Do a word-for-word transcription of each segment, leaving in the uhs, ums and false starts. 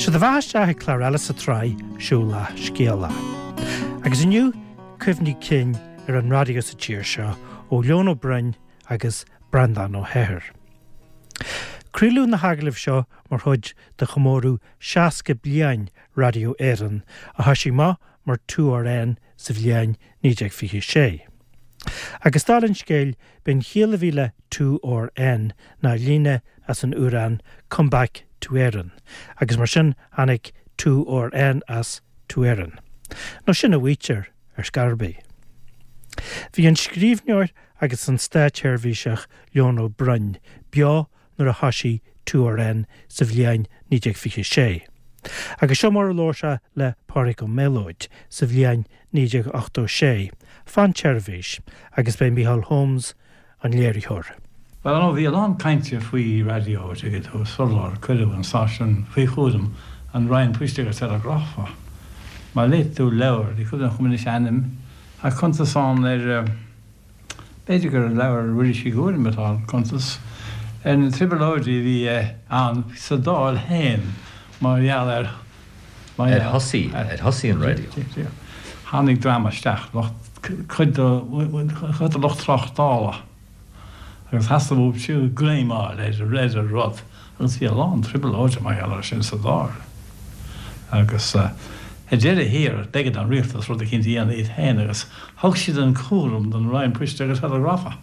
Sé do bheatha isteach ag clár eile sa tsraith Siúlach Scéalach. Agus inniu cuimhní cinn ar an raidió sa tír seo ó Leon Ó Broin agus Breandán Ó hEithir. Craoladh na hagallaimh seo mar chuid de chomóradh seasca bliain Raidió Éireann a thosaigh amach mar two R N sa bhliain naoi déag fiche sé. Agus dála an scéil b'in chiall a bhí le two R N ná líne as an amhrán Come Back to Éireann, agus mar sin tháinig two R N as to Éireann. Nó sin a mhaítear ar scor ar bith. Bhí an scríbhneoir agus an státseirbhíseach Leon Ó Broin beo nuair a thosaigh two R N sa bhliain naoi déag fiche sé. Agus seo mar a labhair sé le Pádraig Ó Méalóid sa bhliain naoi déag ochtó sé, fán tseirbhís agus b'é Micheál Holmes an léiritheoir. Well nó bhí a lán cainte faoi raidió tú sular cuireadh an stáisiún faoi chúram an Roinn Poist agus Telegrafa. Má léigh tú leabhar, ní cuimhin liom anois ainm a cuntas ann ar b'fhéidir gur leabhar Mhuiris Uí Ghuairim atá an cuntas ar na trioblóidí a bhí ann sa Dáil féin mar gheall ar Ar thosaigh ar thosaigh an raidió. Tháinig dream isteach cuid de lucht tráchtála. Agus theastaigh uathu siúd greim a fháil ar ar an rud agus bhí a lán trioblóide mar gheall air sin sa Dáil. Agus ar deireadh thiar b'éigean don rialtas rud eicínt a dhéanamh iad féin agus thug siad an cúram don Roinn Poist agus Telegrafa.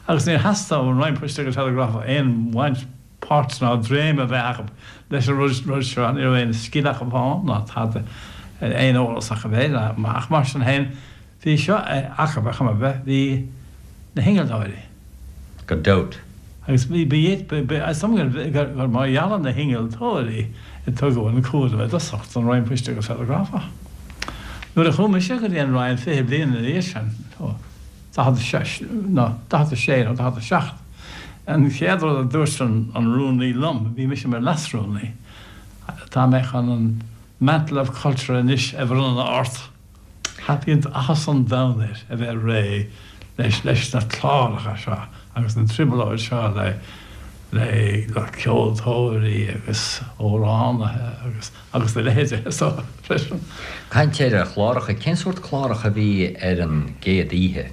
Agus níor theastaigh ón Roinn Poist agus Telegrafa aon bhaint páirt ná dréim a bheith acu leis an rud rud seo ní raibh aon scil acu ann ná tada aon eolas acu bheith ach mar sin féin bhí seo acu a chuma bheith bhí na hinnealtóirí. Gan dabht. Agus bhí gur mar gheall ar na hinnealtóirí a tugadh an cúram i dtosach don Roinn Poist agus Telegrafa. Nuair a chuaigh mise go dtí an Roinn fiche bliain ina dhiaidh sin daichead a sé nó daichead a seacht. An chéad rud a dúirt an rúnaí liom, bhí mise mar leasrúnaí, tá mé chun an mantle of culture anois a bhronnadh ort. Bhí áthas an domhain air a bheith réidh leis leis na cláracha seo agus na trioblóid seo le le le ceoltóirí agus amhránaithe agus agus a leithéide so freisin. Caint ar chláracha, cén sórt cláracha a bhí ar an gcéad oíche?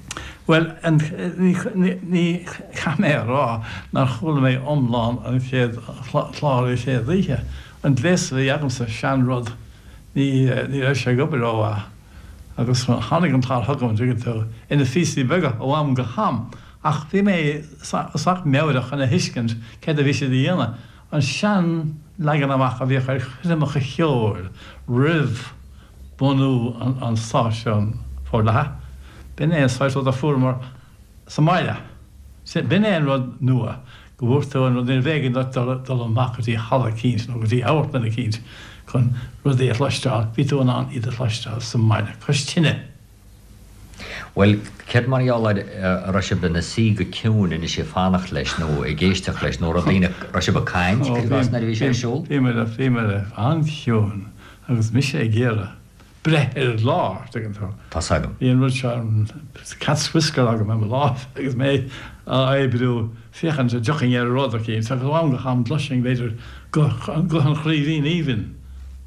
Well ní chaithfidh mé a rá nár chuala mé iomlán an chéad chlár an chéad oíche. An gléas a bhí agamsa seanrud ní ní raibh sé ag obair rómhaith agus tháinig an clár chugam tú ina phíosaí beaga ó am go ham. Ach bhí mé sách meabhrach chun a thuiscint céard a bhí siad a dhéanamh. An sean leagan amach a bhíodh ar choirmeacha ceoil roimh bunú an stáisiún forleathan. B'in é an saghas rud a fuaireamar sa mbaile. B'in é an rud nua go bhfuair tú an rud ní bheidh dul amach go dtí halla eicínt nó go dtí amharclann eicínt chun rudaí a chloisteáil, bhí tú in ann iad a chloisteáil sa mbaile, cois tine. Well, céard mar gheall ar a raibh sibh ina suí go ciúin anois ag fanacht leis nó ag éisteacht leis nó raibh daoine raibh sibh ag caint nuair a bhí sé ar siúl? Bhí mé bhí mé an-chiúin agus mise ag iarraidh breith ar an gclár tuigeann tú. Tá agam. Bhí an rud seo cat's whisker agam am lámh agus mé á oibriú féachaint an dtiocfainn ar rud eicínt agus am go ham chloisfinn b'fhéidir guth an Chraoibhín Aoibhinn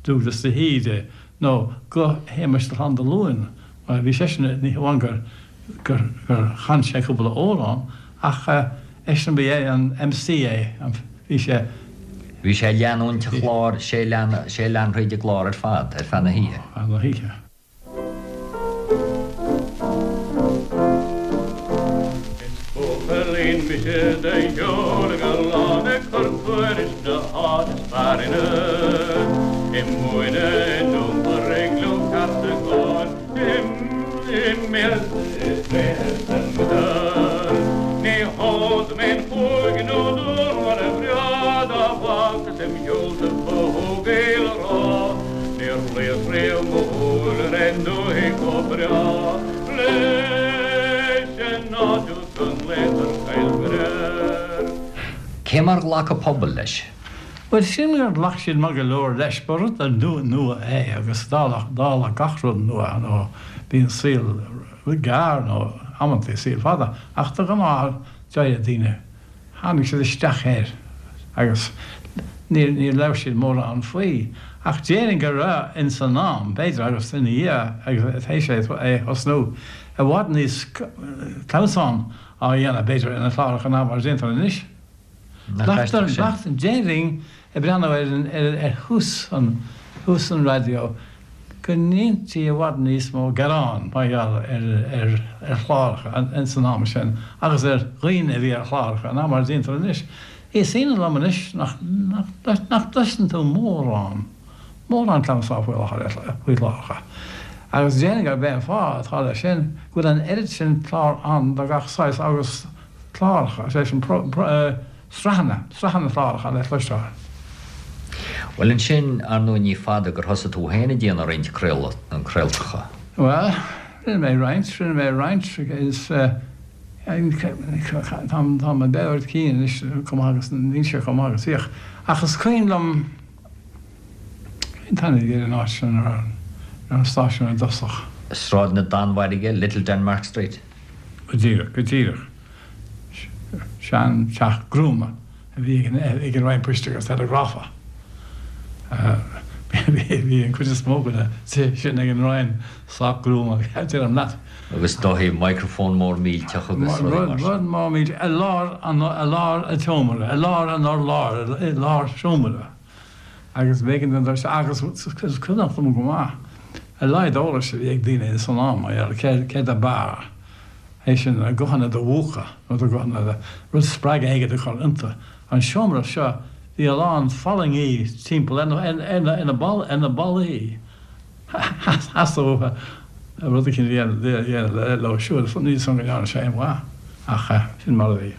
Dúglas de hÍde nó guth Shéamais de Lán mar bhí seisean ní hamháin gur gur gur chan sé cúpla amhrán ach eisean ba é an M C é bhí sé Bhí sé leanúint chlár sé sé lean thríd an gclár ar fad ar feadh na hoíche. Na hoíche. Buachaillín mise do sheol gallán ag cur tuairisc na háit is fearr in I múine iompar ag lúcháir Ní hód mé chuig nó mar a bhreá dá bhacas im sheolta fógail rá Níor léas riamh mo shúil ar aon dúthaigh chomh breá leis an nádúr go nglaotar Coill Bhréar. Cé mar ghlac an pobal leis? Well sin gur ghlac siad maith go leor leis ba rud nua é agus dála dála gach rud nua nó bíonn saol gearr nó amantaí saol fada ach de ghnáth d'éirigh daoine tháinig siad isteach air agus níor ní labhair siad mórán faoi Ach déarfainn go raibh ins an am, b'fhéidir, agus ina dhiaidh agus théis é a thosnú, i bhfad níos clamhsán á dhéanamh, b'fhéidir, ar na cláracha ná mar a déantar anois. Glactar, glactar, déarfainn, ag breathnú ar an, ar, ar thús an, thús an raidió, go ndeintí i bhfad níos mó gearán mar gheall ar, ar, ar chláracha ins an am sin agus ar dhaoine a bhí ar chláracha ná mar a déantar anois. Is ionadh liom anois nach, nach, nach gcloiseann tú mórán, mórán clamhsán faoi láthair, faoi chláracha. Agus déarfainn gurb é an fáth atá leis sin go bhfuil an oiread sin clár ann de gach saghas agus cláracha, is é sin pro, pro, sraitheanna, sraitheanna cláracha le cloisteáil. Bhuel ansin, ar ndóigh ní fada gur thosaigh tú féin ag déanamh roinnt craoltacha. Bhuel, rinne mé roinnt, rinne mé roinnt, is tá mo mheabhair cinn anois chomh maith agus níl sé chomh maith agus bhíodh. Ach is cuimhin liom, cén t-ainm a bhí ar an áit sin a raibh an stáisiún i dtosach? Sráid na Danmhairge, Little Denmark Street. Go díreach, go díreach. Sean teach gruama a bhí ag an Roinn Poist agus Teileagrafa. Bhí an cuid is mó de na tithe sin ag an Roinn sách gruama, deirim leat. Agus is dóigh microphone mór millteach agus rudaí mar sin. Rud mór millteach i lár an, i lár an tseomra, i lár an urláir, i lár seomra. Agus b'éigean don doirse, agus is cuimhneach liom go maith, a laghad eolais a bhí ag daoine san am mar gheall ar céard ab fhearr, é sin na guthanna do mhúchadh nó do ghuthanna do, rud spreagadh éigin a chur iontu. An seomra seo, bhí a lán fallaingí timpeall ar na, ar na, ar na, ar na ballaí. Theastódh rud eicínt a dhéanamh leo siúd. Níl 'fhios a'm go ndearna sé aon mhaith, ach sin mar a bhí.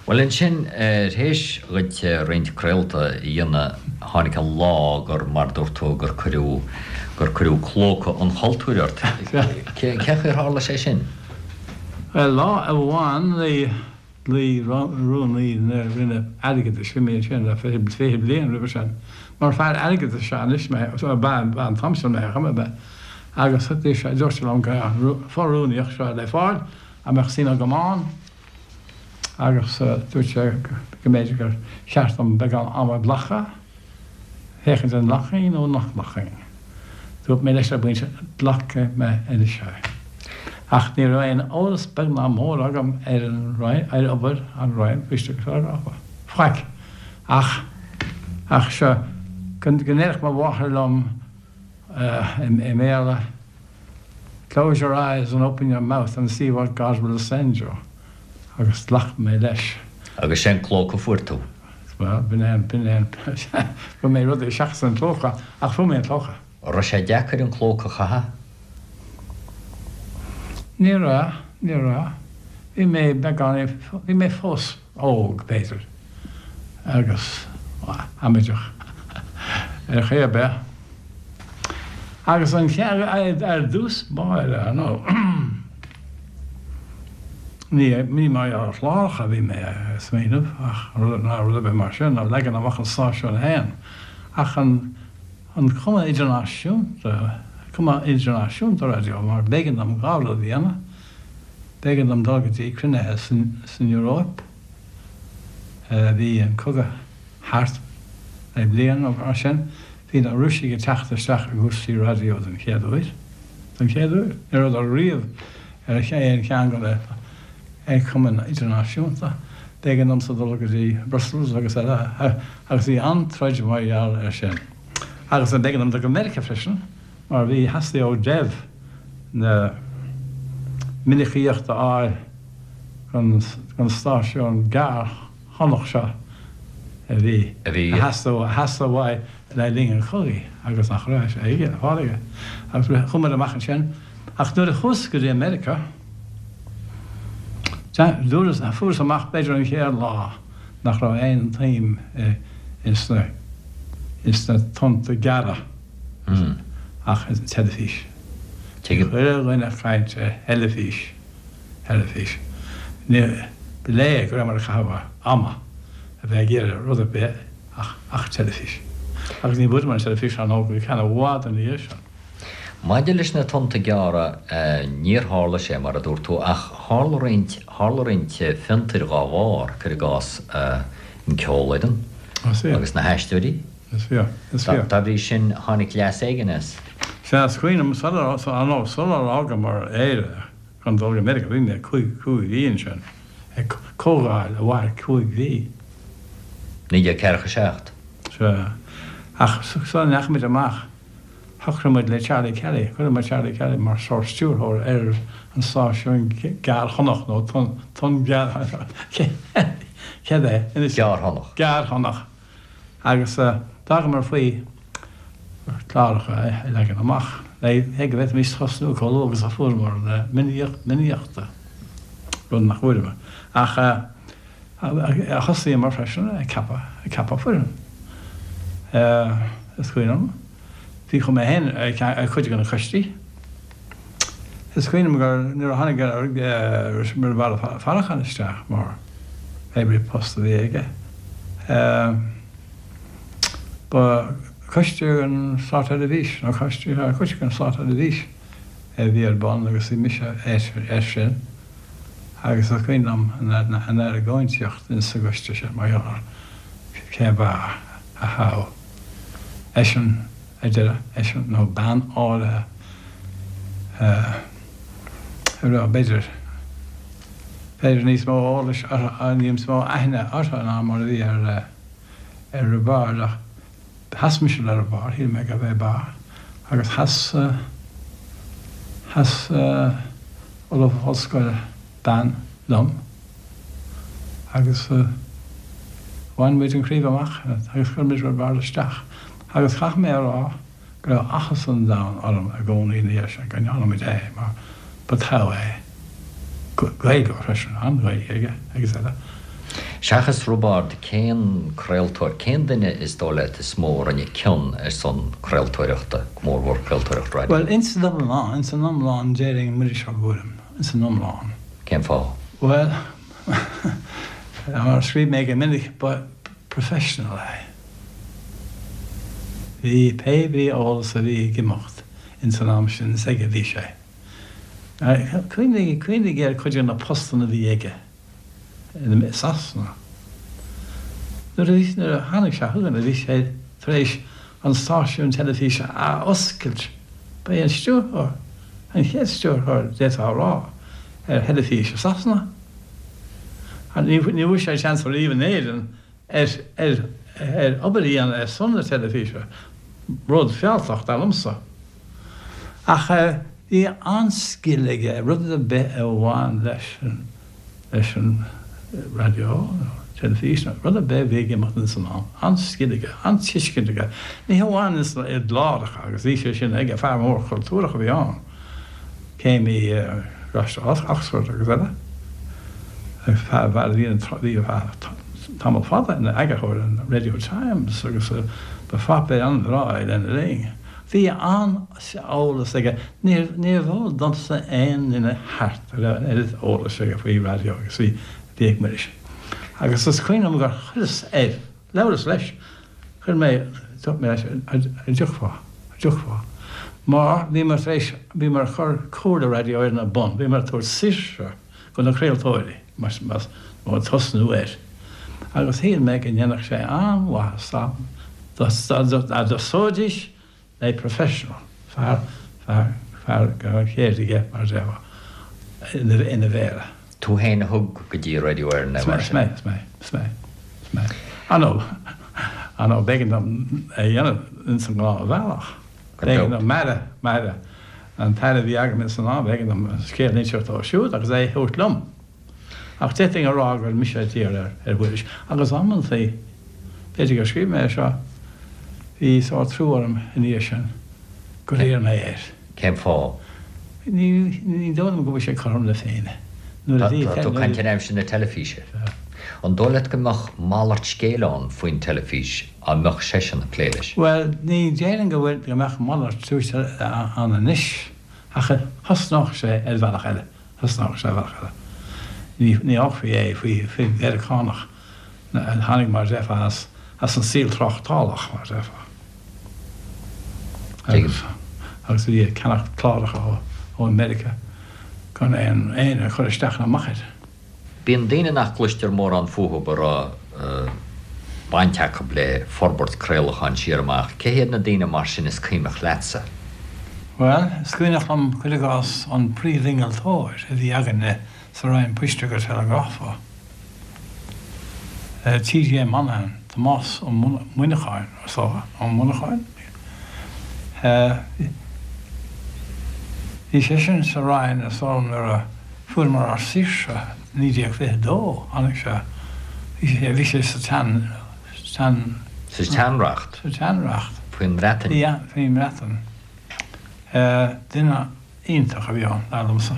Bhuel ansin, tar éis dhuit roinnt craolta a dhéanamh, tháinig an lá gur, mar dúirt tú, gur cuireadh, gur cuireadh clóca an chultúir ort. Cén chaoi ar tharla sé sin? Bhuel, lá amháin ghlaoigh rúnaí na Roinne Airgeadais, bhí mé ansin le fiche bliain roimhe sin, mar fear airgeadais is ea anois mé, ba ea an t-am sin mé ar chuma ar bith, agus dúirt sé liom go raibh an fho-rúnaíocht seo le fáil, an mbeadh suim agam ann, agus dúirt sé go mb'fhéidir gur cheart dom beagán ama a ghlacadh, féachaint an nglacfainn nó nach nglacfainn. Dúirt mé leis ar an bpointe, glacfaidh mé anois é. Ach ní raibh aon eolas beag ná mór agam ar an Roinn, ar obair an Roinn Poist agus Teileagrafa. Faic. Ach, ach seo, go ndéarfadh mo mháthair liom i mBéarla, Close your eyes and open your mouth and see what God will send you. Agus ghlac mé leis. Agus sin clóca a fuair tú? Bhuel, b'in é an, b'in é an, fuair mé rudaí seachas an clóca, ach fuair mé an clóca. An raibh sé deacair an clóca a chaitheamh? Ní raibh, ní raibh. Bhí mé beagán, bhí mé fós óg, b'fhéidir, agus amaideach ar chaoi ar bith. Agus an chead, ar dtús báire, ar ndóigh, ní, ní mar gheall ar chláracha a bhí mé ag smaoineamh ach rud, ná rud ar bith mar sin, ná leagan amach an stáisiúin féin, ach an, an cuma idirnáisiúnta, cuma idirnáisiúnta raidió, mar b'éigean dom dhá rud a dhéanamh, b'éigean dom dul go dtí cruinnithe san, san Eoraip, bhí an cogadh thart le bliain nó mar sin, bhí na Rúisigh ag teacht isteach i gcúrsaí raidió den chéad uair, den chéad uair, ní rabhadar riamh ar aon cheann de na cumainn idirnáisiúnta, b'éigean domsa dul go dtí Brussels agus eile agus bhí an-troid mar gheall air sin. Agus b'éigean dom dul go Meiriceá freisin mar bhí, theastaigh ó Dev na minicíocht a fháil don stáisiún gearrthonnach seo a bhí, a theastaigh, a theastaigh uaidh le linn an chogaidh agus nach raibh sé aige, le fáil aige. Agus chuamar amach ansin. Ach nuair a chuas go dtí Meiriceá, dúras, fuaireas amach b'fhéidir an chéad lá nach raibh aon tsuim ins na, ins na tonnta gearra ach ins an teilifís. Bhí chuile dhuine ag caint ar theilifís, teilifís. Ní, ba léir go rabhamar ag caitheamh ama a bheith ag iarraidh rud ar bith ach, ach teilifís. Agus ní bhfuaireamar an teilifís ar ndóigh go ceann i bhfad ina dhiaidh sin. Maidir leis na tonnta gearra, níor tharla sé mar a dúirt tú, ach tharla roinnt, tharla roinnt fiontair dhá bharr, cuir i gcás an Ceolfhoireann agus na hAisteoirí. Is fíor, is fíor. Dá bhrí sin tháinig leas éigin as. Sea, is cuimhin liom sular, nó sular fhágamar Éire chun dul go Meiriceá, bhí mé cúig, cúig mhí ansin, ag comhdháil a mhair cúig mhí. Naoi déag ceathracha seacht. Sea. Ach sula ndeachaigh muid amach, shocraigh muid le Charlie Kelly, chuir muid Charlie Kelly mar sórt stiúrthóir ar an stáisiún Gearrchonach nó Tonn, Tonn Gearr, céard é? Gearrthonnach. Gearrthonnach. Agus d'fhágamar faoi chláracha a leagan amach le go bhféadfaimis tosnú chomh luath agus a fuaireamar na minicíochta, rud nach bhfuaireamar. Ach thosaíomar freisin ag ceapadh, ag ceapadh foireann. Is cuimhin liom, bhí chomh mé féin ar chuid de na coistí. Is cuimhin liom gur nuair a tháinig Roibeárd Ó Faracháin isteach mar pé brí post a bhí aige, ba coiste an Státseirbhís nó coiste coiste an Státseirbhís a bhí ar bun agus bhí mise air sin agus is cuimhin liom an argóintíocht insa gcoiste sin mar gheall ar cé ab fhearr a thoghadh. Eisean ar deireadh, eisean nó bean áirithe a raibh b'fhéidir, b'fhéidir níos mó eolais orthu, níos mó aithne orthu ná mar a bhí ar ar Roibeárd ach sheas mise le Roibeárd, shíl mé gurbh é ab fhearr agus sheas, sheas ollamh ollscoile, bean, liom agus bhain muid an chraobh amach agus chuir muid Roibeárd isteach agus caithfidh mé a rá go raibh áthas an domhain orm i gcónaí ina dhiaidh sin go ndearna muid é mar ba togha é. Gaeilgeoir freisin, an-Ghaeilge aige agus eile. Seachas Roibeárd, cén craoltóir, cén duine is dóigh leat is mó a rinne cion ar son craoltóireachta, go mórmhór craoltóireacht raidió? Bhuel, ins an iomlán, ins an iomlán déarfainn Muiris Ó Guairim, ins an iomlán. Cén fáth? Bhuel, mar a scríobh mé go minic, ba professional é. Bhí pé brí eolas a bhí ag imeacht ins an am sin, is aige a bhí sé. Cuimhnigh, cuimhnigh ar chuid de na postanna a bhí aige i Sasana. Nuair a bhí, nuair a tháinig sé chugainn, bhí sé tar éis an stáisiún teilifíse a oscailt. Ba é an stiúrthóir, an chéad stiúrthóir, d'fhéadfá a rá, ar theilifís i Sasana. Ní bhfuair sé seans ariamh in Éirinn ar ar ar obair a dhéanamh ar son na teilifíse, rud fealltach, dar liomsa. Ach bhí an-scil aige rud ar bith a bhain leis an leis an raidió nó teilifís nó rud ar bith a bhí ag imeacht ins an am. An-scil aige, an-tuiscint aige. Ní hamháin ins na i gcláracha agus bhí sé sin aige, fear mór cultúrach a bhí ann. Céimí i gColáiste Oxford agus eile. Agus fear a bhí bhí tamall fada ina eagarthóir an Radio Times agus ba pháipéar an-bhreá é lena linn. Bhí an-eolas aige. Níorbh eol domsa aon duine thart a raibh an oiread eolais aige faoi raidió agus bhí bhí ag Muiris. Agus is cuimhin liom gur chuireas air, labhras leis, chuir mé, dúirt mé leis, an dtiocfá, an dtiocfá. Mar bhíomar tar éis, bhíomar ag cur Comhairle Raidió Éireann ar bun, bhíomar ag tabhairt saoirse do na craoltóirí, más nó tosnú air. Agus shíl mé go ndéanfadh sé an-mhaitheas dá dtosóidís le professional, fear, fear, fear go raibh an cheird aige, mar a déarfá, ina mhéara. Tú féin a thug go dtí Radio Éireann é, mar sin? Is mé, is mé, is mé, is mé. Ar ndóigh, ar ndóigh, b'éigean dom é a dhéanamh ins an ngnáthbhealach. B'éigean dom m'aire, m'aire, an t-aire a bhí agam ins an am, b'éigean dom an scéal a inseacht dó siúd agus é a thabhairt liom. Ach d'fhéadfainn a rá gur mise a d'iarr ar ar Mhuiris. Agus amantaí, b'fhéidir gur scríobh mé é seo, bhí sórt trua orm ina dhiaidh sin gur iarr mé air. Cén fáth? Ní ní dóigh liom go bhfuil sé cothrom le Féinne. Nuair a bhí Tá tú ag caint ar aimsir na teilifíse. An dóigh leat go mbeadh malairt scéil ann faoin teilifís dá mbeadh seisean ag plé leis? Bhuel, ní déarfainn go bhfuil, go mbeadh malairt ann anois ach thosnódh sé ar bhealach eile. Thosnódh sé ar bhealach eile. Ní ní fhágfaí é faoi faoi Mheiriceánach a tháinig mar a déarfá as as an saol tráchtálach mar a déarfá. Agus agus a bhí ag ceannacht cláracha ó ó Meiriceá gan aon aon a chur isteach ná amach air. Bíonn daoine nach gcloistear mórán fúthu a raibh baint acu le forbairt craolacháin siar amach. Cé hiad na daoine mar sin is cuimhneach leatsa? Bhuel, is cuimhneach liom, cuir i gcás, an príomhinnealtóir a bhí againne sa Roinn Poist agus Teileagrafa, T J Monaghan, Tomás Ó Muineacháin, is dócha, Ó Muineacháin? Bhí seisean sa Roinn is dóigh liom nuair a fuaireamar ár saoirse, naoi déag fiche a dó, tháinig sé, bhí sé, bhí sé sa tsean, tsean. Sa tseanreacht. Sa tseanreacht. Faoin mBreatain. Yeah, faoin mBreatain. Duine iontach a bhí ann, dar liomsa.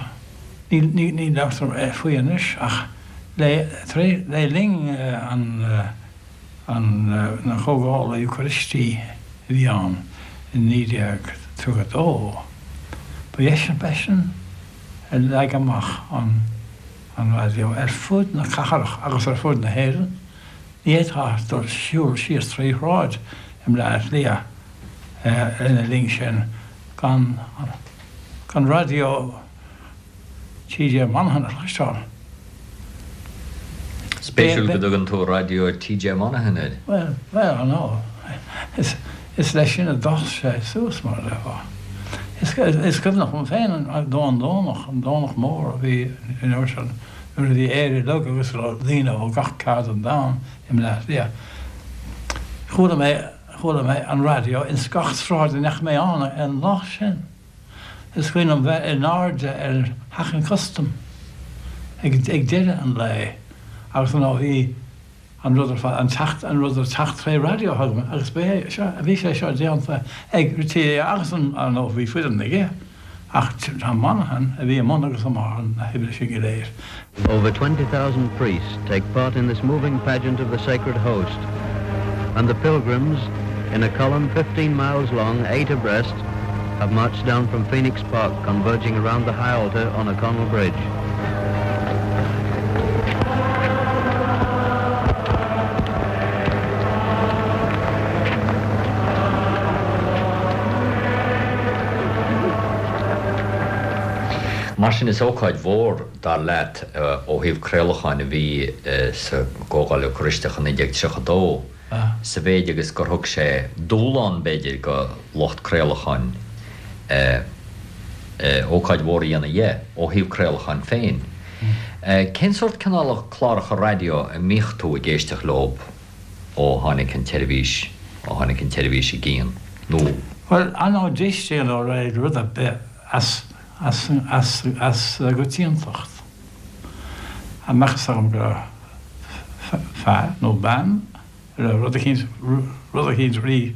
Ní, ní, ní labhartar faoi anois ach le, tar éis, le linn an, an, na Comhdhála Eocairistí a bhí ann i naoi déag tríocha a dó, ba eisean, b'eisean a leag amach an, an raidió ar fud na cathrach agus ar fud na hÉireann. Ní fhéadfá dul siúl síos trí shráid i mBleá Cliath lena linn sin gan, gan raidió T J Monaghan a chloisteáil. Spéisiúil go dtugann tú Raidió T J Monaghan air. Bhuel, bhuel, ar ndóigh, is, is leis sin a d'fhás sé suas, mar a déarfá. Is, is cuimhneach liom féin an an Domhnach, an Domhnach Mór a bhí an uair sin, nuair a bhí Éire uilig agus daoine ó gach ceard den domhan i mBleá Cliath. Chuala mé, chuala mé an raidió ins gach sráid a ndeachaigh mé ann an lá sin. Is cuimhin liom bheith in airde ar Theach an Chustaim ag, ag deireadh an lae agus nó bhí an rud ar fad, an teacht, an rud ag teacht tré raidió chugam agus ba é seo, bhí sé seo déanta ag R T É agus an, ar ndóigh bhí foireann aige ach tá Monaghan a bhí i mbun agus i mbarr na hoibre sin go léir. Over twenty thousand priests take part in this moving pageant of the Sacred Host, and the pilgrims, in a column fifteen miles long, eight abreast, have marched down from Phoenix Park, converging around the high altar on O'Connell Bridge. Mar sin is ócáid mhór dar leat ó thaobh craolacháin a bhí sa gComhdháil Eocairisteach i naoi déag tríocha a dó, sa mhéid agus gur thug sé dúshlán b'fhéidir go lucht craolacháin ócáid mhór a dhéanamh dhe ó thaobh craolacháin féin. Cén sórt cineál cláracha raidió a mbíodh tú ag éisteacht leo ó tháinig an tseirbhís, ó tháinig an tseirbhís i gcion nó? Bhuel, ar ndóigh d'éistinn le rud ar bith as as as as gcoitiantacht. An mbeadh fhios agam go raibh fear nó bean a raibh rud eicínt rud eicínt rí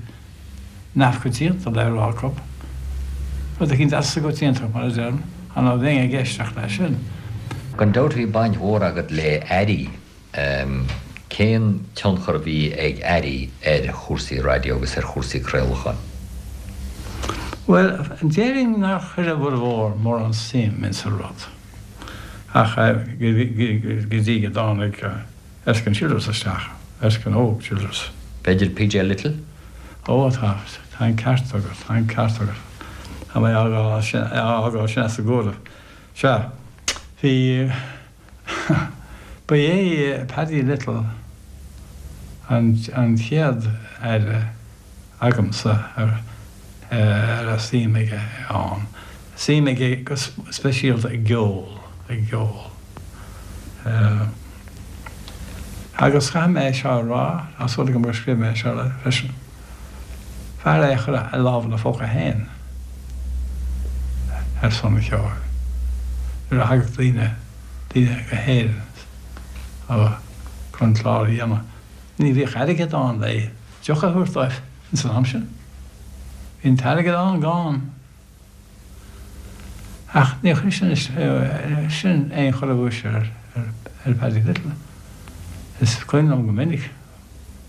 neamhchoitianta le rá acu. Rud eicínt as an gcoitiantacht, mar a deirim, ar ndóigh bheinn ag éisteacht leis sin. Gan dabht bhí baint mhór agat le airí. Cén tionchar a bhí ag airí ar chúrsaí raidió agus ar chúrsaí craolacháin? Bhuel, déarfainn nár chuir a bhformhór mórán suim insa rud, ach go dtí go dtáinig Erskine Childers isteach, Erskine Óg Childers. B'fhéidir P J Little? Ó, tá, tá an ceart agat, tá an ceart agat. Tá mé á fhágáil sin as an gcomhaireamh. Sea, bhí, ba é Paddy Little an an chéad aire agamsa a raibh suim aige ann. Suim aige go speisialta i gceol, i gceol. Agus caithfidh mé seo a rá, tá súil agam gur scríobh mé seo freisin. Fear é a chuir a lámh ina phóca féin ar son an cheoil. Nuair a thagadh daoine, daoine go hÉirinn chun clár a dhéanamh, ní bhíodh airgead ann le deoch a thabhairt dóibh ins an am sin. Bhí an t-airgead an-ghann. Ach níor chuir sin sin aon chor amhais ar ar Paddy Little. Is cuimhin liom go minic,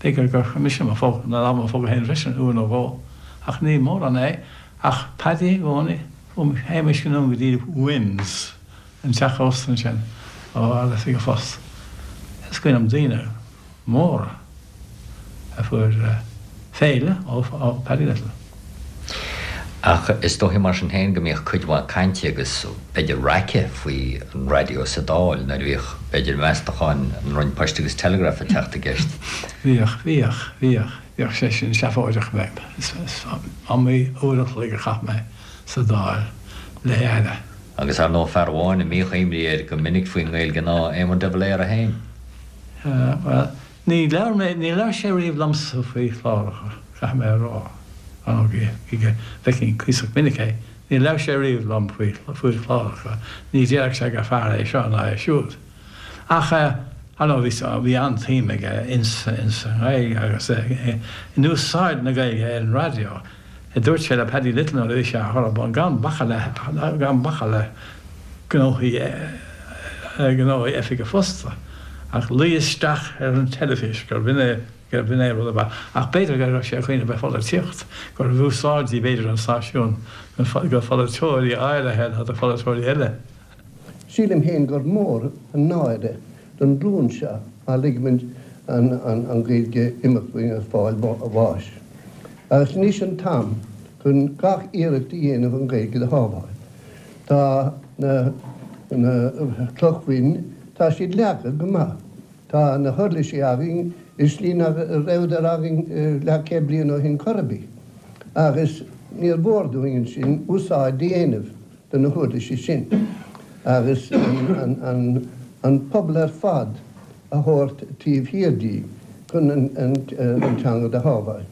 b'fhéidir gur chuir mise mo phóca, na lámha i mo phóca féin freisin uair nó dhó, ach ní mórán é, ach Paddy i gcónaí, théimis anonn go dtí Wynne's, an teach ósta ansin, ó Oifig an Phoist. Is cuimhin liom daoine móra a fuair féile ó Paddy Little. Ach is dóichí mar sin féin go mbíodh cuid mhaith cainte agus b'fhéidir raice faoi an raidió sa Dáil nuair a bhíodh b'fhéidir meastacháin an Roinn Poist agus Telegraph ag teacht i gceist. Bhíodh, bhíodh, bhíodh. Bhíodh sé sin seafóideach. Is iomaí uair a chloig a chaith mé sa Dáil le hAire. Agus ar ndóigh fear amháin a mbíodh imní air go minic faoin nGaeilge ná Éamon de Valera féin. Bhuel, ní labhair mé, ní labhair sé riamh liomsa faoi chláracha, caithfidh mé a rá. Ar ndóigh, bhfeicfinn cuíosach minic é, ní labhair sé riamh liom faoi faoi chláracha, ní déarfadh sé gur fearr é seo ná é siúd. Ach ar ndóigh bhí bhí an-tsuim aige ins ins an Ghaeilge agus in úsáid na Gaeilge ar an raidió. Dúirt sé le Paddy Little nuair a bhí sé á chur ar bun gan bacadh le gan bacadh le gnóthaí gnóthaí oifige fosta ach luí isteach ar an teilifís gur b'in é gur b'in é rud ab ea. Ach b'fhéidir go raibh sé ag cuimhneamh ar pholaitíocht, gurbh úsáidí b'fhéidir an stáisiún do pholaiteoirí áirithe ná do pholaiteoirí eile. Sílim féin gur mór an náire don ghlúin seo má ligimid an Ghaeilge imeacht uainn agus fáil bháis. Agus anois an t-am chun gach iarracht a dhéanamh an Ghaeilge do shábháil. Tá na na clocha bhoinn, tá siad leagtha go maith. Tá na huirlisí againn i slí nach rabhadar againn leathchéad bliain ó shin chor ar bith. Agus níor mhór dúinn ansin úsáid a dhéanamh de na huirlisí sin agus an pobal ar fad a thabhairt taobh thiar di chun an teanga do shábháil.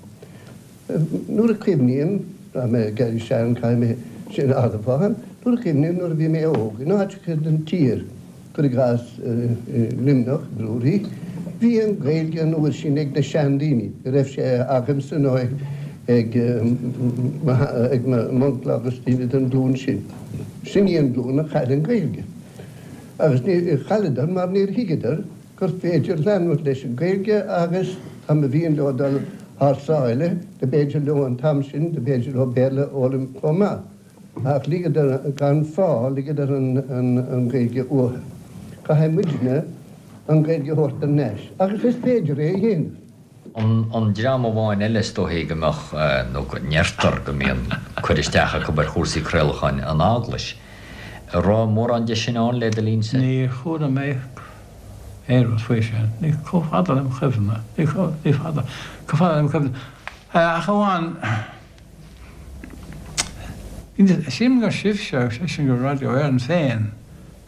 Nuair a chuimhním, tá mé ag éirí sean, caithfidh mé sin a admháil, nuair a chuimhním nuair a bhí mé óg, in áiteacha den tír, cuir i gcás Luimneach, Bruree, bhí an Ghaeilge an uair sin ag na seandaoine, ní raibh sé agamsa nó ag ag m'uncail agus daoine den ghlúin sin. Sin í an ghlúin a chaill an Ghaeilge. Agus ní chailleadar mar níor thuigeadar gur féidir leanúint leis an Ghaeilge agus dá mba mhian leo dul thar sáile, do b'fhéidir leo an t-am sin, do b'fhéidir leo Béarla a fhoghlaim chomh maith. Ach ligeadar, gan fáth, ligeadar an Ghaeilge uathu. Caithfidh muidne an Ghaeilge a thabhairt thar n-ais agus is féidir é a dhéanamh. An dream amháin eile is dóichí go mbeadh, nó go ndeirtear go mbíonn cur isteach acu ar chúrsaí craolacháin, an Eaglais. An raibh mórán de sin ann le do linnse? Níor chuala mé aon rud faoi sin. Ní chomh fada lem chuimhne. Ní ní fada. Chomh fada lem chuimhne. Ach amháin, sílim gur sibhse, sé sin gur Radio Éireann féin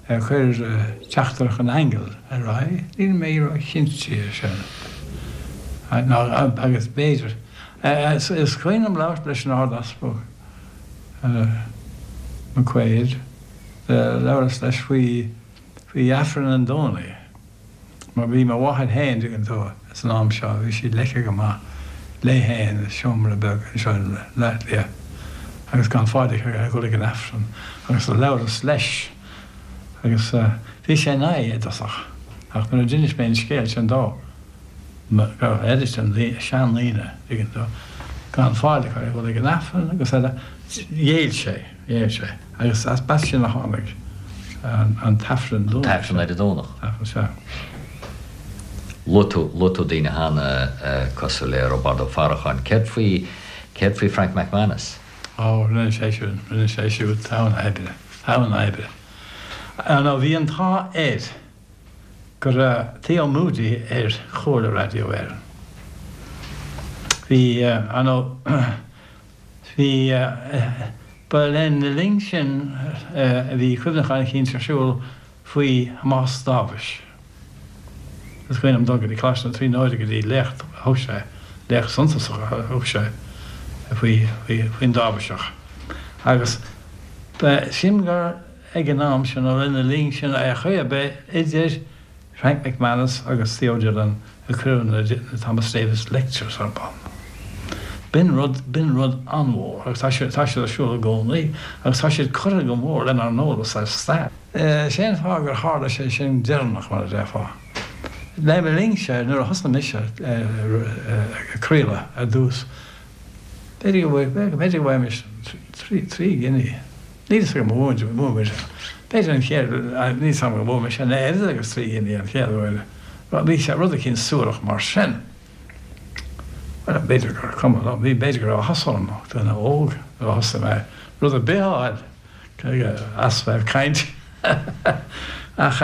a chuir Teachtaireacht an Aingil ar aghaidh. Níl mé róchinnte ar sin. Ná agus b'fhéidir. Is cuimhin liom labhairt leis an Ard-Easpag McQuaid. Labhras leis faoi faoi Aifreann an Domhnaigh, mar bhí mo mháthair féin, tuigeann tú, san am seo, bhí sí leigthe go maith léi féin i seomra beag anseo i mBleá Cliath agus gan fáil aici ar dhul ag an Aifreann agus do labhras leis agus bhí sé in aghaidh i dtosach ach nuair a d'inis mé an scéal sin dó, go raibh oiread sin seandaoine, tuigeann tú, gan fáil acu ar dhul ag an Aifreann agus eile, ghéill sé, ghéill sé agus as b'as sin a tháinig an tAifreann An tAifreann ar an Domhnach. Aifreann, sea. Luaigh tú, luaigh tú daoine cheana cosúil le Roibeárd Ó Faracháin. Céard faoi, céard faoi Frank McManus? Ó, rinne sé siúd, rinne sé siúd togha oibre, togha oibre. Nó bhí an t-ádh air go raibh Theo Moody ar Chomhairle Radio Éireann. Bhí, ar ndóigh, bhí, ba lena linn sin a bhí cuimhneachán eicínt ar siúl faoi Thomás Dáibhis. Is cuimhin liom dul go dtí Coláiste na Tríonóide go dtí léacht a thug sé, léacht suntasach a thug sé faoi, faoi, faoin Dáibhiseach. Agus ba, sílim gur ag an am sin nó lena linn sin ar chaoi ar bith idir Frank McManus agus Theo Dillon a cuireadh na Thomas Davis Lectures ar bun. B'in rud, b'in rud an-mhór agus tá siad, tá siad ar siúl i gcónaí agus tá siad curtha go mór lenár n-eolas ar stair. Sé an fáth gur tharla sé sin deireanach, mar a déarfá. Le mo linnse, nuair a thosaigh mise ag craoladh ar dtús, b'fhéidir go bhfuair, b'fhéidir go bhfuair trí, trí ghiní. Níl fhios agam an bhfuair muid, b'fhéidir an chéad, níl fhios agam an bhfuair mise an oiread agus trí ghiní an chéad uair. Bhí sé rud eicínt suarach mar sin. Bhuel, b'fhéidir gur cuma liom, bhí, b'fhéidir go raibh áthas orm, duine óg, nuair a thosaigh mé rud ar bith a fháil as bheith ag caint. Ach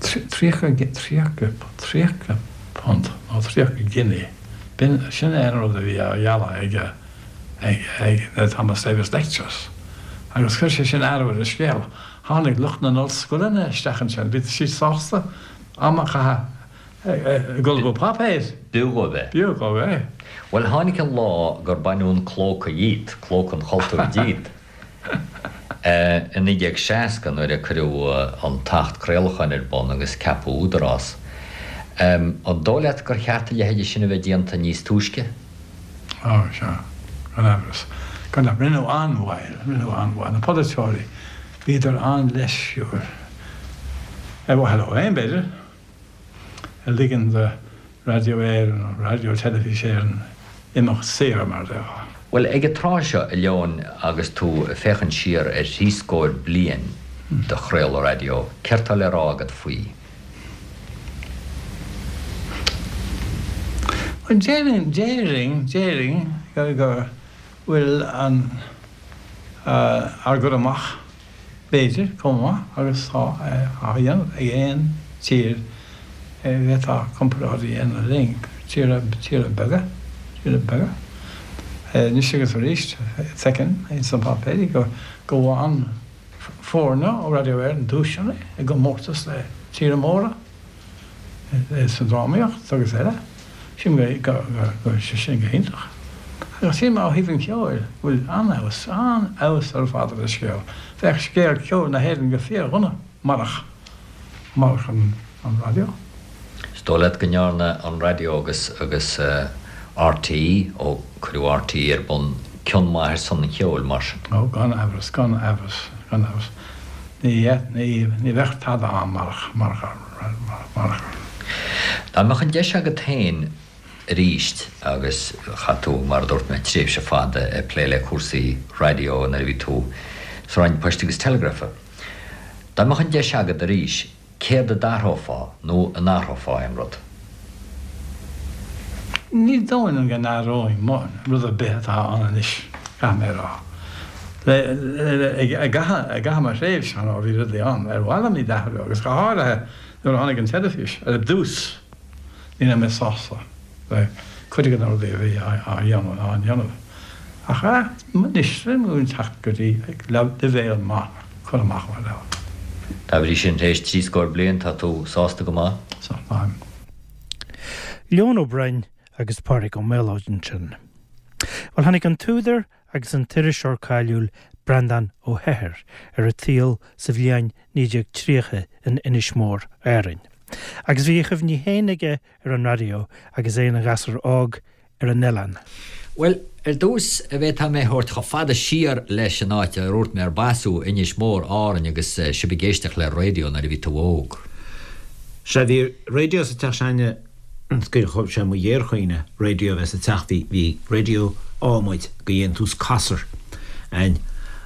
tríocha, tríocha, tríocha punt nó tríocha giní, b'in, sin é an rud a bhí á ghealladh ag, ag, ag na Thomas Davis Lectures. Agus chuir sé sin athrú ar an scéal. Tháinig lucht na n-ollscoileanna isteach ansin, bhí siad sásta am a chaitheamh ag ullmhú páipéir. B'fhiú dhóibh é. B'fhiú dhóibh é. Bhuel, tháinig an lá gur baineadh an clóca dhíot, clóca an chultúir díot, i naoi déag seasca nuair a cuireadh an tAcht Craolacháin ar bun agus ceapadh Údarás. An dóigh leat gur cheart a leithéide sin a bheith déanta níos túisce? Ó, sea, gan amhras. Gan amhras. Rinneadh an-mhoill, rinneadh an-mhoill. Na polaiteoirí, bhíodar an-leisciúil. Ar mhaithe leo féin, b'fhéidir, a ligean do Raidió Éireann nó Raidió Teilifís Éireann imeacht saor, mar a déarfá. Bhuel, ag an tráth seo, a Leoin, agus tú ag féachaint siar ar thrí scór bliain de chraoladh raidió, céard tá le rá agat faoi? Bhuel, déarfainn, déarfainn, déarfainn go bhfuil an, ár gcur amach, b'fhéidir, chomh maith agus tá á dhéanamh ag aon tír a bhféadfá comparáid a dhéanamh linn, tíortha, tíortha beaga, tíortha beaga. Anois agus arís, feicim ins na páipéirí go bhfaigheann foirne ó Radio Éireann duaiseanna i gcomórtas le tíortha móra sa drámaíocht agus eile. Sílim go bhfuil sé sin go hiontach. Agus sílim ó thaobh an cheoil go bhfuil an-fheabhas, an-fheabhas ar fad ar an scéal. Bheadh scéal ceoil na hÉireann go fíordhona marach, marach an raidió. Is dóigh leat go ndearna an raidió agus, agus RTÉ, ó cuireadh RTÉ ar bun, cion maith ar son an cheoil, mar sin? Ó, gan amhras, gan amhras, gan amhras. Ní, ní, ní bheadh tada ann marach, marach, marach. Dá mbeadh an deis agat féin arís, agus chaith tú, mar a dúirt mé, tréimhse fada ag plé le cúrsaí raidió nuair a bhí tú sa Roinn Poist agus Telegrafa, dá mbeadh an deis agat arís, céard a d'athrófá nó an athrófá aon rud? Ní dóigh liom go n-athróinn rud ar bith atá ann anois, caithfidh mé a rá. I gcaitheamh mo thréimhse, ar ndóigh, bhí rudaí ann ar mhaith liom iad a athrú agus go háirithe nuair a tháinig an teilifís ar dtús, ní raibh mé sásta le cuid de na rudaí a bhí á dhéanamh. Ach anois, sílim go bhfuil teacht go dtí leibhéal maith cur amach mar leabhar. Dá bhrí sin, tar éis trí scór bliain, tá tú sásta go maith? Sea, táim. Leon Ó Broin agus Pádraig Ó Méalóid ansin. Bhuel, tháinig an t-údar agus an t-iriseoir cáiliúil Breandán Ó hEithir ar an tsaol sa bhliain naoi déag tríocha in Inis Mór, Árainn. Agus bhí a chuimhní féin aige ar an raidió agus é ina ghasúr óg ar an oileán. Bhuel, ar dtús, an bhféadfá mé a thabhairt chomh fada siar leis an áit a ndúirt mé ar b'as thú, Inis Mór, Árainn, agus sibh ag éisteacht le raidió nuair a bhí tú óg. Sea, bhí raidió sa teach s'againne, is sé mo ghéarchuimhne raidió a bheith sa teach, bhí, bhí raidió adhmaid de dhéantús Cossar a'inn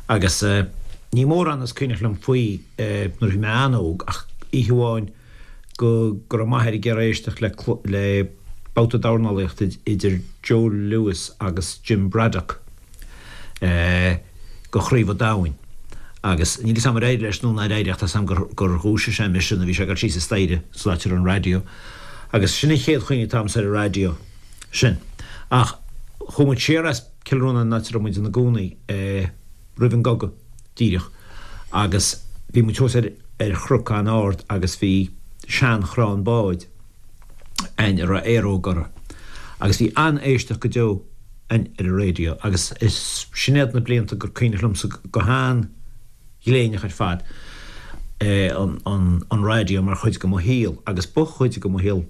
agus ní mórán is cuimhneach liom faoi nuair a bhí mé an-óg ach oíche amháin go go raibh m'athair ag iarraidh éisteacht le le babhta dornálaíochta idir Joe Louis agus Jim Braddock go Chraobh an Domhain agus níl 'fhios a'm ar éirigh leis nó nár éirigh ach tá 'fhios a'm gur gur dhúisigh sé mise nuair a bhí sé ag dul síos an staighre san áit a raibh an raidió agus sin an chéad chuimhne atá a'msa ar an raidió sin. Ach chuaigh muid siar as Cill Rónáin an áit a raibh muid ina gcónaí roimh an gcogadh díreach agus bhí muid thuas ar ar chnoc an-ard agus bhí seanchrann báid a'inn a raibh aeróg orthu agus bhí an-éisteacht go deo a'inn ar an raidió agus is sin iad na blianta gur cuimhneach liomsa go han-ghléineach ar fad an an an raidió mar chuid de mo shaol agus ba chuid de mo shaol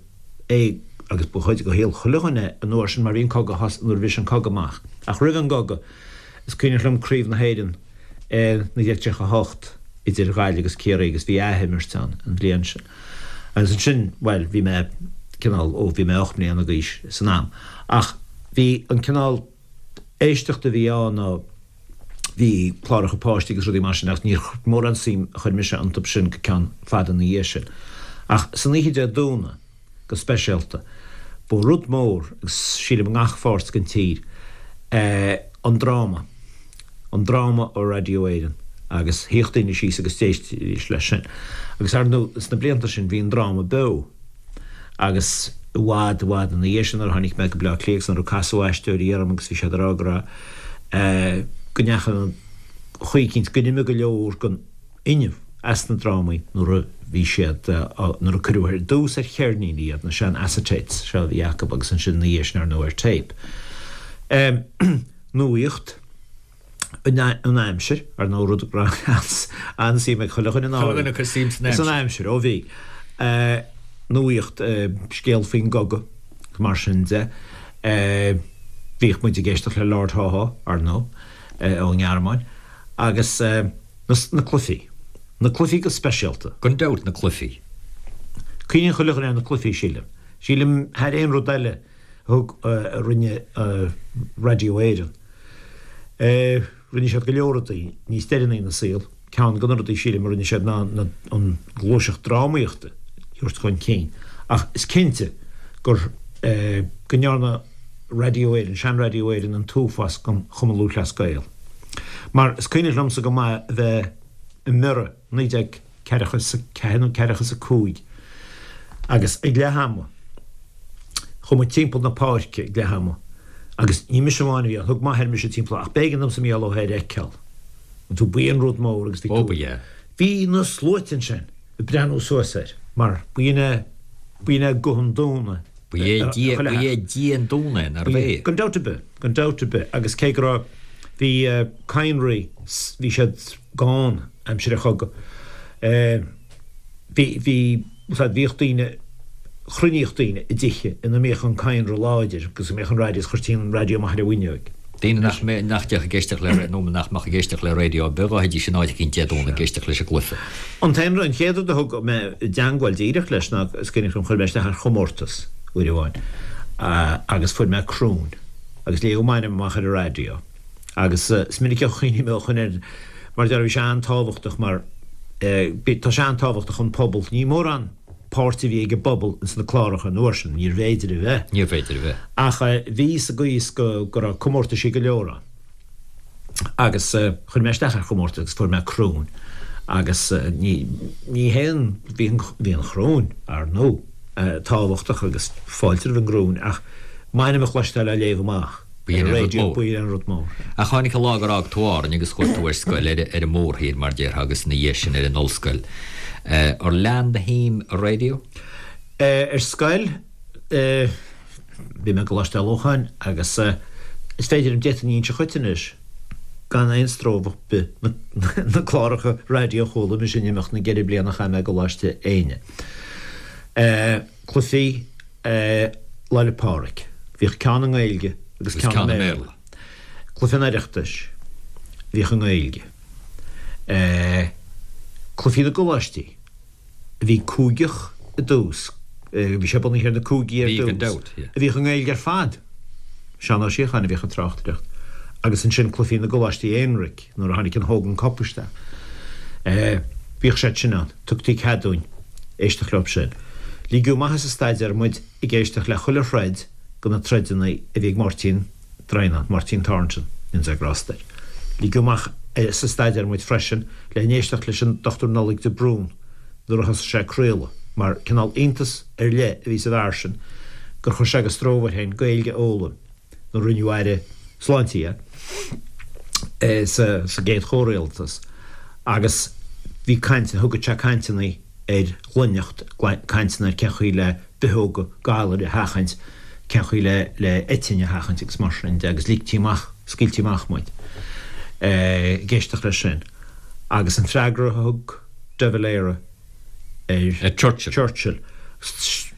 é agus ba chuid de shaol chuile dhuine an uair sin mar bhí an cogadh nuair a bhris an cogadh amach ach roimh an gcogadh is cuimhneach liom Craobh na hÉireann naoi déag tríocha a hocht idir Gaillimh agus Ciarraí agus bhí athimirt ann an bhliain sin. Agus ansin, bhuel, bhí mé cineál, ó, bhí mé ocht mbliana d'aois san am. Ach bhí an cineál éisteachta a bhí ann ná bhí cláracha páistí agus rudaí mar sin ach níor mórán suim a chuir mise iontu sin go ceann fada ina dhiaidh sin. Ach san oíche Dé Domhnaigh, go speisialta, Ba rud mór, agus sílim i ngach pháirt den tír, an dráma. An dráma ó Raidió Éireann. Agus shuíodh daoine síos agus d'éistidís leis sin. Agus ar ndóigh, sna blianta sin bhí an dráma beo. Agus i bhfad, i bhfad ina dhiaidh sin nuair a tháinig mé go Baile Átha Cliath agus nuair a casadh aisteoirí orm agus bhí siad ag rá go raibh, go ndeachaigh an chaoi eicínt, go n-imigh go leor den fhuinneamh as na drámaí nuair a bhí siad, nuair a cuireadh ar dtús ar cheirníní iad, na sean-acetates seo a bhí acu agus ansin ina dhiaidh sin ar ndóigh ar téip. Nuaíocht, an aimsir, ar ndóigh rud a raibh an-suim ag chuile dhuine Chuile dhuine ag cur suim san aimsir. San aimsir, ó bhí. Nuaíocht, scéal faoin gcogadh, mar sin de. Bhíodh muid ag éisteacht le Lord Haw-Haw, ar ndóigh, ón nGearmáin. Agus na cluichí. Na cluichí go speisialta. Gan dabht, na cluichí. Cuimhníonn chuile dhuine ar na cluichí, sílim. Sílim, thar aon rud eile a thug, a rinne Raidió Éireann. Rinne siad go leor rudaí níos deireanaí ina saol. Ceann de na rudaí, sílim, a rinne siad ná an ghluaiseacht drámaíochta a thabhairt chun cinn. Ach is cinnte gur, go ndearna Raidió Éireann, sean-Raidió Éireann an t-uafás don Chumann Lúthchleas Gael. Mar is cuimhneach liomsa go maith a bheith i mBiorra naoi déag ceathracha is a ceathair nó ceathracha is a cúig agus ag leath ama chuaigh muid timpeall na páirce ag leath ama agus ní mise amháin a bhí ann, thug m'athair mise timpeall ach b'éigean domsa Mícheál Ó hEithir a fheiceáil. An tú b'in rud mór agus bhí Ó ba ea. Bhí na sluaite ansin ag breathnú suas air mar b'in é, b'in é guth an Dúin Ba é Dia, ba é Dia an Dúin é, nárbh é? Gan dabht ar bith, gan dabht ar bith, agus cé go raibh, bhí cadhnraí, bhí siad gann aimsir an chogaidh, bhí, bhí, bhíodh daoine, chruinníodh daoine i dtithe ina mbíodh an cadhnra láidir agus a mbeadh an raidió, is chuirtí an raidió amach ar an bhfuinneoig. Daoine nach mbeadh, nach dtéadh ag éisteacht le, nó nach mbeadh ag éisteacht le raidió ar bith, ghabhaidís in áit eicínt Dé Domhnaigh ag éisteacht leis an gcluiche. An t-aon rud, an chéad rud a thug mé i dteangmháil díreach leis ná, is cuimhneach liom, chuir mé isteach ar chomórtas uair amháin agus fuair mé cruinn agus léadh m'ainm amach ar an raidió agus is minic a chuimhním ó shoin air mar a déarfá bhí sé an-tábhachtach mar tá sé an-tábhachtach an pobal, ní mórán páirt a bhí ag an bpobal ins na cláracha an uair sin, níorbh fhéidir a bheith. Níorbh fhéidir a bheith. Ach bhí sa gcaoi is go go raibh comórtaisí go leor ann. Agus chuir mé isteach ar chomórtas agus fuair mé cruinn agus ní ní haon bhí an bhí an chruinn, ar ndóigh, tábhachtach agus fáilte roimh an gcruinn ach m'ainm a chloisteáil á léamh amach. B'in an rud mór. B'in an rud mór. Ach tháinig an lá gur fhág tú Árainn agus chuaigh tú ar scoil ar an mórthír, mar déarfá, agus ina dhiaidh sin ar an ollscoil. Ar lean do shuim i raidió? Ar scoil, bhí mé i gColáiste Lócháin agus is féidir liom, d'fhéadfainn a inse dhuit anois gan aon stró ar bith na cláracha raidió a chuala mise in imeacht na gceithre bliana a chaith mé i gColáiste Éinne. Cluichí. Lá 'le Pádraig. Bhíodh ceann i nGaeilge agus ceann i mBéarla. Cluiche an Oireachtais, bhíodh i nGaeilge. Cluichí na gColáistí, a bhí cúigeach i dtús, bhí sé bunaithe ar na cúigí ar dtús, a bhíodh i nGaeilge ar fad. Seán Ó Síocháin a bhíodh ag tráchtaireacht. Agus ansin cluichí na gColáistí Aonraic, nuair a tháinig an Hogan Cup isteach. Bhíodh siad sin ann. Tugtaí cead dúinn éisteacht leo sin. Ligeadh amach as an staidéar muid ag éisteacht le chuile throid de na troideanna a bhí ag Máirtín Droighneán, Máirtín Thornton, go ndéana Dia grásta air. Ligeadh amach as an staidéar muid freisin le n-éisteacht leis an Dochtúir Nollaig de Brún nuair a thosaigh sé ag craoladh, mar cineál iontas ar leith a bhí sa bhfear sin gur chuir sé de stró air féin Gaeilge a fhoghlaim nuair a rinneadh Aire Sláinte dhe sa gcéad chomhrialtas agus bhí caint, thugadh sé cainteanna ar ghlaineacht, cainteanna ar cén chaoi le bitheoga galair a sheachaint, cén chaoi le le eitinn a sheachaint agus mar sin de agus ligtí amach, scaoiltí amach muid ag éisteacht leis sin. Agus an freagra a thug de Valera ar Churchill. Churchill.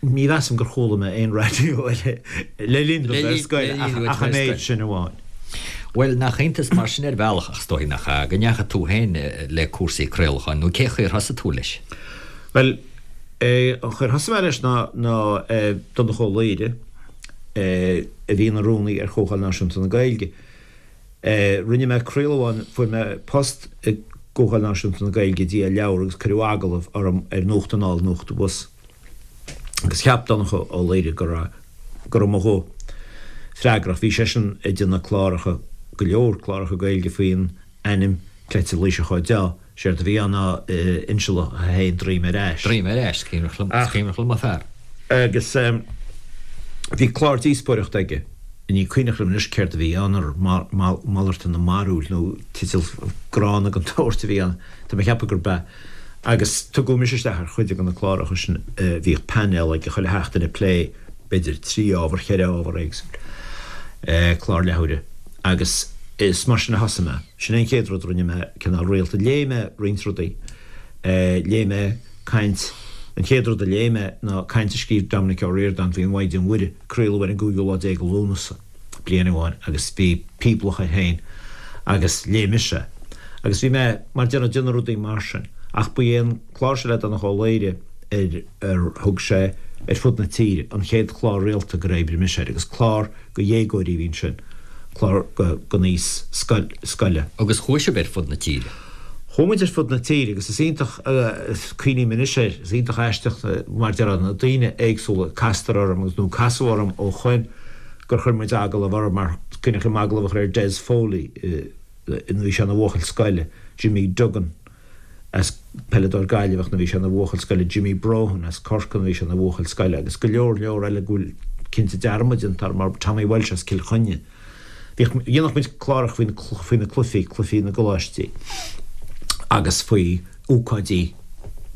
Ní mheasaim gur chuala mé aon raidió eile le linn dom bheith ar scoil ach an méid sin amháin. Bhuel, nach iontas mar sin ar bhealach, ach is dóigh nach ea, go ndeachaigh tú féin le cúrsaí craolacháin, nó cé chaoi ar thosaigh tú leis? Bhuel, an chaoi ar thosaigh mé leis ná ná Donncha Ó Laoghaire, a bhí ina rúnaí ar Chomhdháil Náisiúnta na Gaeilge. Rinne mé craoladh amháin, fuair mé post i gComhdháil Náisiúnta na Gaeilge ag díol leabhar agus cuireadh agallamh orm ar Nuacht Anall, Nuacht Abhus. Agus cheap Donncha Ó Laoghaire go raibh go raibh mo ghuth freagrach. Bhí seisean ag déanamh cláracha, go leor cláracha Gaeilge faoin ainm cleite Laoiseach Ó Deá. Séard a bhí ann ná Insealach a haon Droim ar ais. Droim ar ais, is cuimhneach liom an fear. Agus bhí clár díospóireachta aige, ní cuimhneach liom anois céard a bhí ann, ar malartú na mbarúil nó teideal gránna den tsórt a bhí ann, tá mé ag ceapadh gurb ea. Agus tugadh mise isteach ar chuid de na cláracha sin, bhíodh painéal aige chuile sheachtain ag plé b'fhéidir trí ábhar, cheithre ábhar éagsúil, clár leathuaire. Agus is mar sin a thosaigh mé. Sin é an chéad rud a rinne mé cineál rialta. Léigh mé roinnt rudaí. Léigh mé caint, an chéad rud a léigh mé ná caint a scríobh Dominic Ó Ríordáin faoin Mhaighdean Mhuire. Craoladh ar an gcúigiú lá déag de Lúnasa bliain amháin agus bhí píblach air féin agus léigh mise é. Agus bhí mé, mar déanamh, déanamh rudaí mar sin. Ach ba é an clár seo le Donncha Ó Laoghaire ar ar thug sé ar fud na tíre an chéad chlár rialta gur oibrigh mise air agus clár go dhéagóirí a bhí ansin, clár don aois scoile. Agus chuaigh sibh ar fud na tíre? Chuaigh muid ar fud na tíre agus is iontach, cuimhním anois air, is iontach aisteach mar déarfá na daoine éagsúla, castar orm agus nó casadh orm ó shoin gur chuir muid agallamh orthu mar cuimhneach liom agallamh a chur ar Des Foley nuair a bhí sé ina bhuachaill scoile, Jimmy Duggan. as peileadóir Gaillimheach nuair a bhí sé ina bhuachaill scoile, Jimmy Brohan as Corcaigh nuair a bhí sé ina bhuachaill scoile agus go leor leor eile go bhfuil cinnte dearmad déanta orm mar Tommy Walsh as Cill Chainnigh. Bhíodh, dhéanadh muid cláracha faoi faoi na cluichí, cluichí na gcoláistí agus faoi ócáidí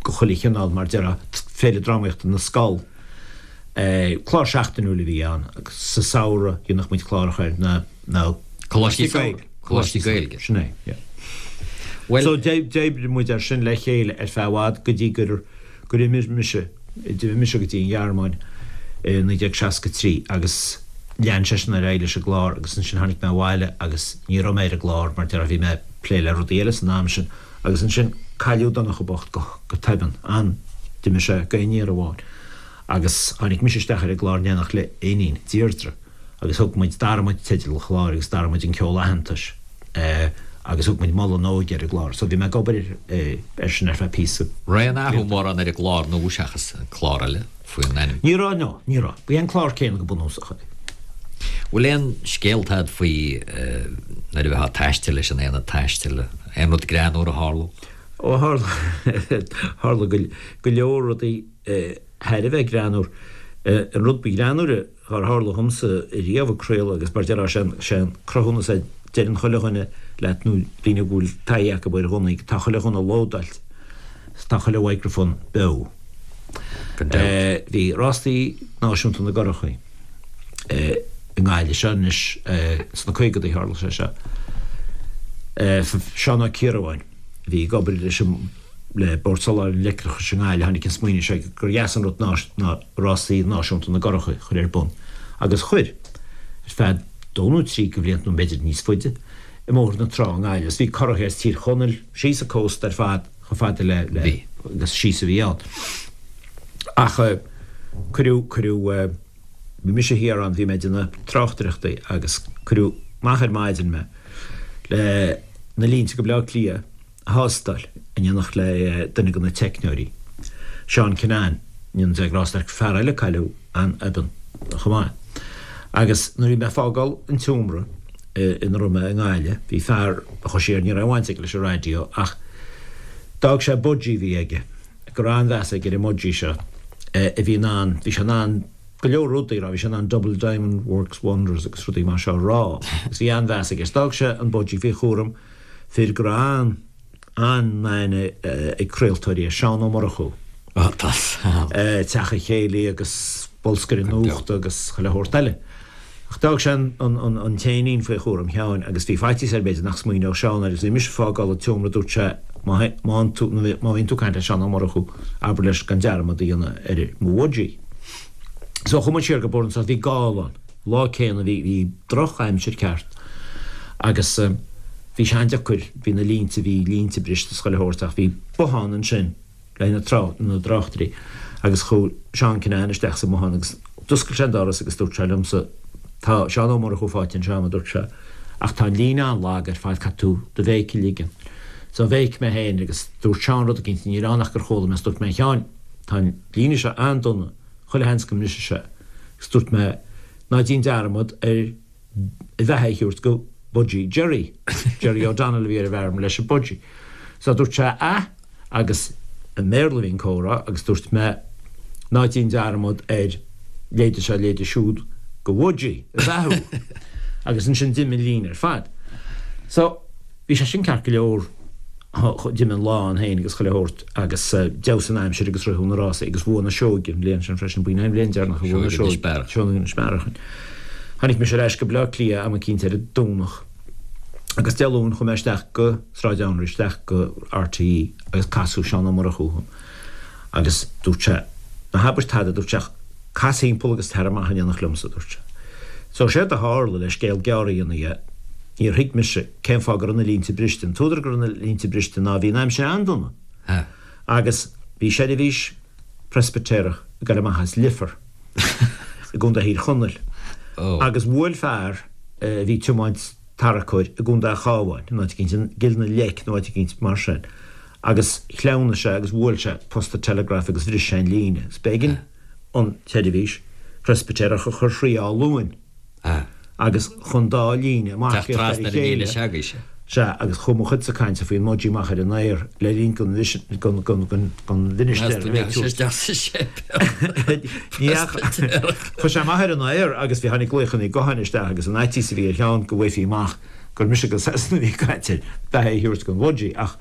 de chuile chineál mar déarfá, Féile Drámaíochta na Scol. Clár seachtainiúil a bhí ann agus sa samhradh dhéanadh muid cláracha ar na, na Coláistí Gaeilge. Coláistí Gaeilge. Sin é, yeah. Well, so d'oibrigh muid air sin le chéile ar feadh i bhfad go dtí gur gur imigh mise, d'imigh mise go dtí an Ghearmáin i naoi déag seasca trí agus lean seisean ar aghaidh leis an gclár agus ansin tháinig mé abhaile agus ní raibh mé ar an gclár mar déarfá bhí mé ag plé le rudaí eile san am sin agus ansin cailleadh Donncha bocht go go tobann, an, d'imigh sé gan aon iarraidh amháin agus tháinig mise isteach ar an gclár in éineacht le iníon, Deirdre. agus thug muid, d'athraigh muid teideal an chláir agus d'athraigh muid an ceol aitheantais agus thug muid Moladh na hÓige ar an gclár. So bhí mé ag obair air sin ar feadh píosa. Raibh aon athrú mórán ar an gclár nua seachas an clár eile faoin ainm? Ní raibh, no, ní raibh. Ba é an clár céanna go bunúsach é. Bhfuil aon scéalta agat faoi nuair a bheifeá ag taisteal leis an aonad taistil, aon rud greannmhar a tharlódh? Ó tharla, tharla go leor rudaí thar a bheith greannmhar. An rud ba ghreannmhaire dhár tharla dhomsa riamh ag craoladh agus mar déarfá sé sé an cruthúnas é deireann chuile dhuine leat nó daoine go bhfuil taithí acu ar ghunnaí tá chuile ghunna lódáilte tá chuile mhicreafón beo. Gan dabht. Bhí rástaí náisiúnta na gcurachaí i nGaillimh seo anois sna caogadaí tharla sé seo. Seán Ó Ciarabháin a bhí ag obair leis an le Bord Soláthair an Leictreachais i nGaillimh, tháinig an smaoineamh seo gur dheas an rud ná rásaí náisiúnta na gcurachaí a chur ar bun. Agus chuir, ar feadh dó nó trí de bhlianta nó b'fhéidir níos faide, i mBóthar na Trá i nGaillimh. Agus bhí curachaí as Tír Chonaill síos an cósta ar fad chomh fada le, le, agus síos a bhí ann. Ach cuireadh, cuireadh, bhí mise thiar ann, bhí mé ag déanamh tráchtaireachtaí agus cuireadh amach ar maidin mé le na línte go Baile Átha Cliath, a thástáil in éineacht le duine de na teicneoirí, Seán Kinane, in ionad rás fear eile a cailleadh an-obann chomh maith. Agus nuair a bhí mé ag fágáil an tseomra ina raibh mé i nGaillimh, bhí fear a chuaigh siar, ní raibh aon bhaint aige leis an raidió ach d'fhág sé budgie a bhí aige, go raibh an-mheas aige ar an mbudgie seo, a bhí in ann, bhí sé in ann go leor rudaí a rá, bhí sé in ann double diamond works wonders agus rudaí mar seo a rá agus bhí an-mheas aige. D'fhág sé an budgie faoi chúram fir go raibh an-aithne ag craoltóirí air, Seán Ó Murchú. Teach an Chéilí agus bolscaire nuachta agus chuile shórt eile. Ach d'fhág sé an t-éinín faoi chúram Sheáin agus bhí faitíos air b'fhéidir nach smaoineodh Seán air agus bhí mise ag fágáil an tseomra dúirt sé má má bhíonn tú ag caint le Seán Ó Murchú abair leis gan dearmad a dhéanamh ar mo bhudgie. So chuaigh muid siar go Bord an bhí gála ann. Lá céanna bhí bhí droch-aimsir ceart agus bhí sé an-deacair, bhí na línte, bhí línte briste is chuile shórt ach bhí bothán ansin le na trá, na dtráchtairí agus chuaigh Seán Kinane isteach sa mbothán agus d'oscail sé an doras agus dúirt sé liomsa tá Seán Ó Murchú faighte anseo a dúirt sé ach tá an líne an-lag ar fad caithfidh tú do bhéic a ligean. So bhéic mé féin agus dúirt Seán rud eicínt ní raibh ann ach gur chuala mé is dúirt mé a Sheáin tá an líne seo an-dona, chuile sheans go mbrisfidh sé agus dúirt mé Ná déan dearmad ar a bheatha a thabhairt go Budgie Jerry. Jerry O'Donnell a bhí ar an bhfeirm leis an Budgie. So dúirt sé a agus i mBéarla a bhí an comhrá agus dúirt mé ná déan dearmad ar leide seo leide siúd go Budgie a bheathú. Agus ansin d'imigh an líne ar fad. So bhí sé sin ceart go leor d'imigh an lá ann féin agus chuile shórt agus d'fheabhsaigh an aimsir agus ritheadh na rásaí agus bhuaigh na Seoighe an bhliain sin freisin, b'in an bhliain deireanach a bhuaigh na Seoighe Seoighe Inis Bearach. Tháinig mise ar ais go Baile Átha Cliath am eicínt ar an Domhnach agus Dé Luain chuaigh mé isteach go Sráid Anraí, isteach go RTÉ agus casadh Seán Ó Murchú chugam agus dúirt sé, ná habair tada, dúirt sé, cas thimpeall agus tar amach in éineacht liomsa, dúirt sé. So séard a tharla, le scéal gearr a dhéanamh dhe, níor thuig mise cén fáth go raibh na línte briste. An t-údar go raibh na línte briste ná bhí an aimsir an-dona agus bhí seirbhís Preispitéireach ag dul amach as Leifear i gContae Thír Chonaill agus bhuail fear a bhí ag tiomáint tarracóir i gContae an Chabháin, in áit eicínt, i gCill na Leice nó áit eicínt mar sin, agus shleamhnaigh sé agus bhuail sé posta teileagraif agus bhris sé an líne agus b'éigean an tseirbhís Phreispitéireach a chur thrí Áth Luain agus chun dá líne marcaíocht ar a chéile. Sea, agus chuaigh mo chuidse cainte faoin mBudgie amach ar an aer le linn don mhinistéir a bheith ag tabhairt. Ní Chuaigh sé amach ar an aer agus bhí tháinig glaochanna gutháin isteach agus an fhaitíos a bhí ar Sheán go bhfaighfí amach gur mise go Sasana a bhí ag caint ar beatha a thabhairt don Bhudgie ach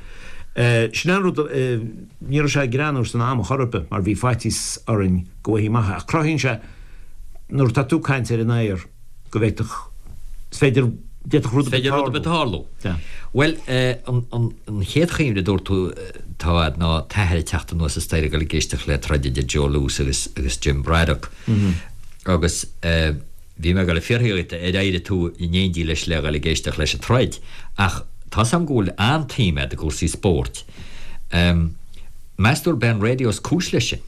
sin an rud, ní raibh sé greannmhar san am chor ar bith mar bhí faitíos orainn go bhfaighfí amach é ach cruthaíonn sé nuair atá tú ag caint ar an aer go bhféadfadh, is féidir, d'fhéadfadh rud ar bith tarlú. Bhuel, an chéad chuimhne a dúirt tú atá agat ná t'athair ag teacht anuas an staighre ag dul ag éisteacht le troid idir Joe Louis agus agus Jim Braddock agus Bhí mé ag dul a fiafraí dhíot ar éirigh tú in éindí leis le dhul ag éisteacht leis an troid, ach tá's a'm go bhfuil an-tsuim a'd i gcúrsaí spóirt. Meas tú arb é an raidió is cúis leis sin?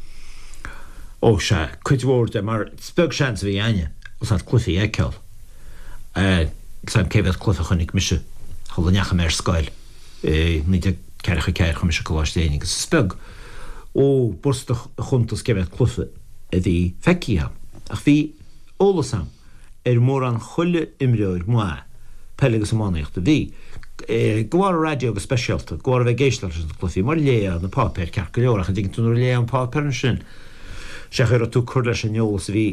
Ó, sea, cuid mhór de, mar is beag seans a bhí a'inne os a'd cluichí a fheiceáil. Níl 's a'm cé mhéad cluiche a chonaic mise shula ndeachaigh mé ar scoil i naoi déag ceathracha a ceathair, chuaigh mise Coláiste Éinne agus is beag, ó, b'fhurasta a chuntas cé mhéad cluiche a bhí feicthe a'm. Ach bhí. eolas a'm ar mórán chuile imreoir maith peile agus iománaíochta a bhí, de bharr an raidió go speisialta, de bharr a bheith ag éisteacht leis na cluichí, mar léadh na páipéir ceart go leor ach an dtuigeann tú nuair a léadh an páipéar ansin sé an chaoi a raibh tú ag cur leis an eolas a bhí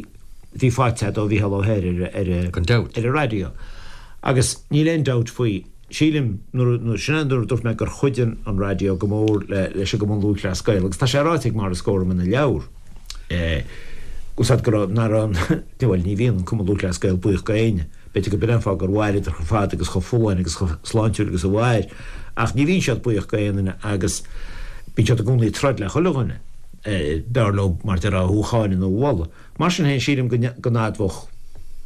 bhí faighte a'd ó Mhícheál Ó hEithir ar Gan dabht. ar an raidió. Agus níl aon dabht faoi, sílim, nuair nuair sin é nuair a dúirt mé gur chuidigh an raidió go mór le leis an gCumann Lúthchleas Gael agus tá sé ráite ag Maurice Gorham ina leabhar, Úsáid go raibh, nach raibh an, bhuel, ní bhíonn an Cumann Lúthchleas Gael buíoch go éinne. B'fhéidir go b'in an fáth gur mhaireadar chomh fada agus chomh folláin agus chomh sláintiúil agus a mhair. Ach ní bhíonn siad buíoch go aon duine agus bíonn siad i gcónaí ag troid le chuile dhuine. B'fhearr leo, mar déarfá, thú a cháineadh nó a mholadh. Mar sin féin, sílim go n-admhódh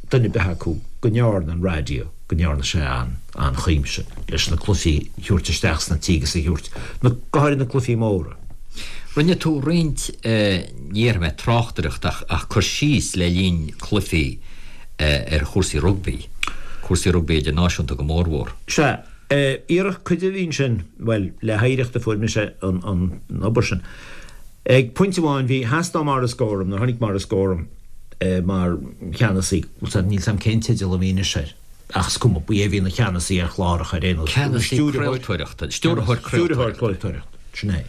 duine ar bith acu go ndearna an raidió, go ndearna sé an-chuimse leis na cluichí a thabhairt isteach sna tithe agus a thabhairt, go háirithe na cluichí móra. Rinne tú roinnt, ní déarfaidh mé tráchtaireacht ach ach cur síos le linn cluichí ar chúrsaí rugbaí, cúrsaí rugbaí idirnáisiúnta go mórmhór. Sea, iarracht cuid a bhí ansin, bhuel, le hoidhreacht a fuair mise an an obair sin. Ag pointe amháin bhí, theastaigh ó Maurice Gorham, nuair a tháinig Maurice Gorham mar cheannasaí, níl 's a'm cén teideal a bhí anois air, ach is cuma, ba é a bhí ina cheannasaí ar chláracha ar aon nós, Ceannasaí craoltóireachta, stiúrthóir craoltóireachta. Stiúrthóir craoltóireachta, sin é.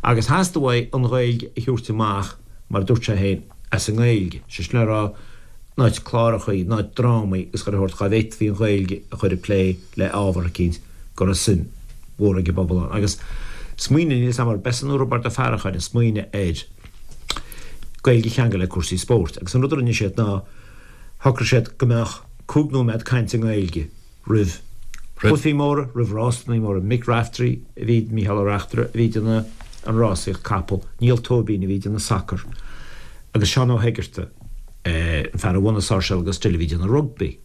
Agus theastaigh uaidh an Ghaeilge a thabhairt amach, mar a dúirt sé féin, as an nGaeilge, sé sin le rá, in áit clárachaí, in áit drámaí agus chuile shórt, dhá bhféadfaí an Ghaeilge a chur ag plé le ábhar eicínt go raibh suim mhór ag an bpobal ann. Agus smaoineamh, níl 'fhios a'm arb eisean nó Roibeárd Ó Faracháin a smaoinigh ar Gaeilge a cheangal le cúrsaí spóirt. Agus an rud a rinne siad ná, shocraigh siad go mbeadh cúig nóiméad cainte i nGaeilge roimh chluichí móra, roimh rásanna móra. Mick Raftery a bhí, Mícheál Ó Reachtaire a bhí ag déanamh an rásaíocht capall, Niall Tóibín a bhí ag déanamh sacar agus Seán Ó hEigeartaigh, an fear a bhunaigh Sáirséal agus Dill a bhí ag déanamh rugbaí.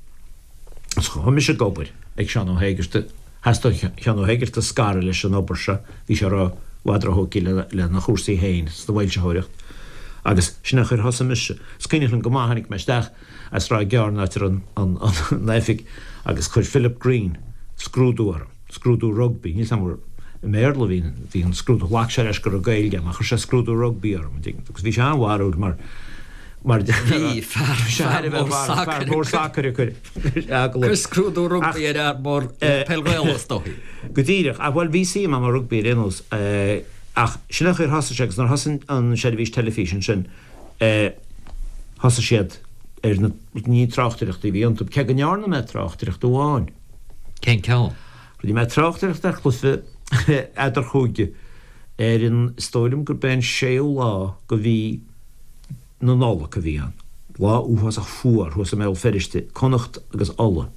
Agus chuaigh mise ag obair ag Seán Ó hÉigeartaigh, theastaigh ó Sheán Ó hÉigeartaigh scaradh leis an obair seo, bhí sé i bhfad róthógtha lena chúrsaí féin sna bhfoilsitheoireacht agus sin é an chaoi ar thosaigh mise. Is cuimhin liom go maith, tháinig mé isteach as Sráid Gearr in áit a raibh an oifig agus chuir Philip Green scrúdú orm, scrúdú rugbaí, níl 's a'm i mBéarla a bhí, bhí an scrúdú, ghlac sé leis go raibh Gaeilge agam ach chuir sé scrúdú rugbaí orm, an dtuigeann tú, agus bhí sé an-bharrúil mar Mar Bhí fear fear mór sacair a chuir Cuir scrúdú rugbaí ar fhear mór peil Ghaelach is dóigh. Go díreach, ach bhuel bhí suim agam i rugbaí ar aon nós ach sin an chaoi ar thosaigh sé agus nuair a thosaigh an seirbhís teilifíse ansin thosaigh siad ar na ní tráchtaireachtaí a bhí iontu, cé go ndearna mé tráchtaireacht amháin. Cén ceann? Rinne mé tráchtaireacht ar chluiche eadarchúige ar an, is dóigh liom gurb é an séú lá de mhí na Nollag a bhí ann. Lá uafásach fuar thuas i mBéal Feirste, Connacht agus Ulaidh.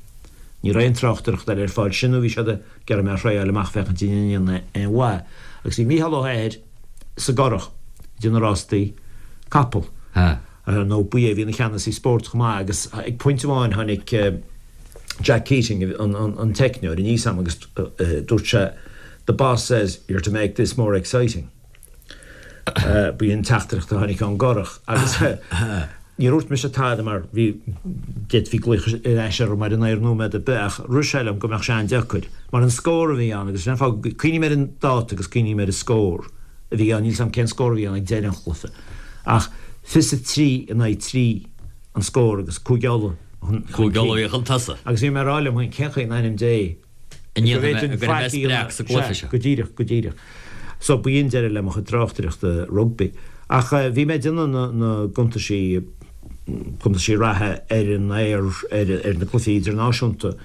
Ní raibh aon tráchtaireacht eile ar fáil, sin nó bhí siad ag iarraidh mé a thriáil amach féachaint an ndéanfainn aon mhaith. Agus bhí Mícheál Ó hEithir sa gCurrach ag déanamh rástaí capall. Nó ba é a bhí ina cheannasaí spóirt chomh maith agus ag pointe amháin tháinig Jack Keating, an teicneoir, aníos agam agus dúirt sé, The boss says you're to make this more exciting. Ba í an teachtaireacht a tháinig ón gCurrach agus níor dhúirt mise tada mar bhí, d'fhéadfaí glaoch ar ais orm ar an aer nóiméad ar bith ach rith sé liom go mbeadh sé an-deacair mar an scór a bhí ann agus sin an fáth, cuimhním ar an dáta agus cuimhním ar an scór a bhí ann, níl 's agam cén scór a bhí ann ag deireadh an chluiche ach fiche a trí in aghaidh trí an scór agus Cúige Uladh chun cinn. Cúige Uladh a bhí chun tosaigh. Agus bhí mé ag rá liom féin cén chaoi in ainm Dé An ndéanfaidh mé, go gcuirfidh mé spreach sa gcluiche seo. Go díreach, go díreach. So b'in deireadh le mo chuid tráchtaireachta rugbaí. Ach bhí mé ag déanamh na, na gcuntaisí, cuntaisí reatha ar an aer ar, ar na cluichí idirnáisiúnta.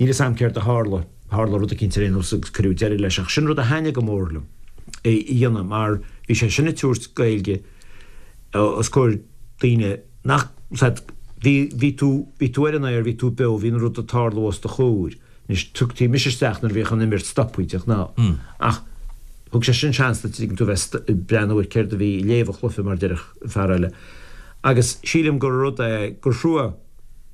Níl 'fhios a'm céard a tharla, tharla rud eicínt ar aon nós agus cuireadh deireadh leis. Ach sin rud a thaitnigh go mór liom a dhéanamh mar bhí sé sin ag tabhairt Gaeilge os comhair daoine nach, said, bhí, bhí tú, bhí tú ar an aer, bhí tú beo, bhí an rud ag tarlú os do chomhair. Anois, tugtaí mise isteach nuair a bhíodh an imirt stoptha de ghnáth, ach thug sé sin seans duit, tuigeann tú, bheith ag breathnú ar céard a bhí, léamh an chluiche, mar a déarfadh fear eile. Agus sílim gur rud é, gur thrua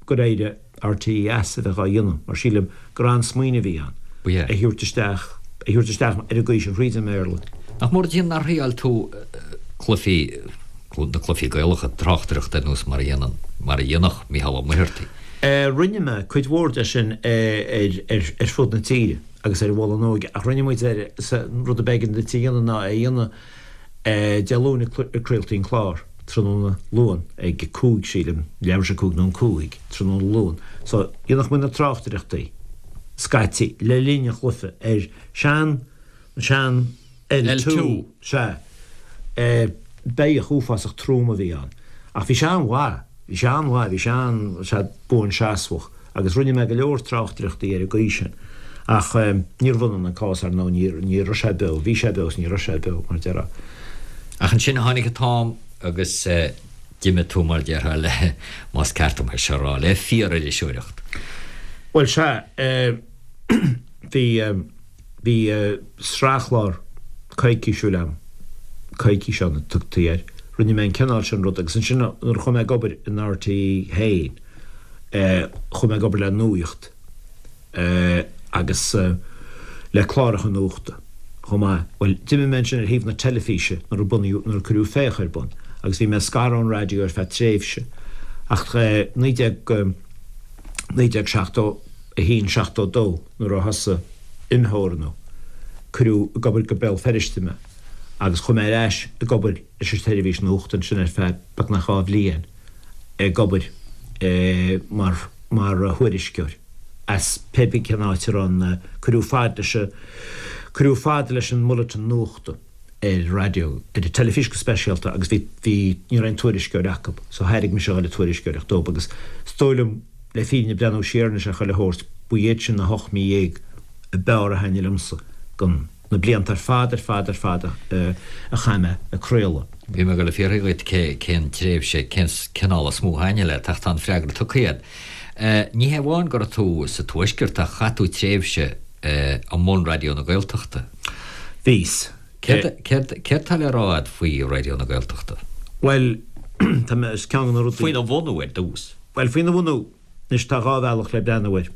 gur éirigh RTÉ as a bheith á dhéanamh, mar sílim gur an-smaoineamh a bhí ann, é a thabhairt isteach, a thabhairt isteach ar an gcaoi sin thríd an mBéarla. Nach mór an nár thriáil tú cluichí, na cluichí Gaelacha, tráchtaireacht ar nós mar a dhéanann, mar a dhéanfadh Mícheál Ó Muircheartaigh? Rinne mé cuid mhór de sin ar fud na tíre agus ar an Mhuileann Óige ach rinne muid ar, an rud ab éigean duit a dhéanamh ná é a dhéanamh Dé Luain a craoltaí an clár, tráthnóna Luain ag a cúig sílim, leathuair tar éis a cúig nó an cúig, tráthnóna Luain. So dhéanfadh muid na tráchtaireachtaí scaití le linn an chluiche ar sean, sean L two, sea. Beithíoch uafásach trom a bhí ann ach bhí sé an-mhaith. Bhí sé an-mhaith, bhí sé an, sea, buanseasmhach agus rinne mé go leor tráchtaireachtaí ar an gcaoi sin. Ach níorbh ionann an cás, ar ndóigh, ní, ní raibh sé beo, bhí sé beo is ní raibh sé beo, mar a déarfá. Ach ansin tháinig an t-am agus d'imigh tú, mar a déarfá, le, más ceart dom é seo a rá, le fíor-iriseoireacht. Bhuel, sea, bhí. Bhí sraithchlár coicísiúil agam, Coicís Ann a tugtaí air. Rinne mé an cineál sin rud agus ansin nuair a chuaigh mé ag obair in RTÉ féin, chuaigh mé ag obair le nuacht agus le cláracha nuachta chomh maith. Bhuel, d'imigh mé ansin ar thaobh na teilifíse nuair a bunaíodh, nuair a cuireadh Féach ar bun agus bhí mé scartha ón raidió ar feadh tréimhse ach naoi déag, naoi déag seachtó a haon, seachtó dó. Nuair a thosaigh imtheorannú, cuireadh ag obair go Béal Feirste mé agus chuaigh mé ar ais ag obair leis an tseirbhís nuachta ansin ar feadh beagnach dhá bhliain, ag obair mar mar thuairisceoir as pé bith cén áit a raibh an, cuireadh fad leis an, cuireadh fad leis an mbulletin nuachta ar raidió, ar an teilifís go speisialta agus bhí, bhí, ní raibh aon tuairisceoir acu so thairg mise a dhul ag tuairisceoireacht dóibh agus is dóigh liom, Le fírinne breathnú siar anois ar chuile shórt, ba iad sin na hocht mí dhéag a b'fhearr a thaitnigh liomsa den na blianta ar fad ar fad ar fad a chaith mé ag craoladh. Bhí mé ag dul a fiafraí dhuit cé cén tréimhse, cén cineál is mó a thaitnigh leat ach tá an freagra tugtha agat. Ní hé amháin go raibh tú sa Tuaisceart ach chaith tú tréimhse i mbun Raidió na Gaeltachta. Bhíos. Céard céard céard tá le rá agat faoi Raidió na Gaeltachta? Bhuel, tá mé, is ceann de na rudaí. Faoina bhunú ar dtús. Bhuel, faoina bhunú, anois tá dhá bhealach le breathnú air.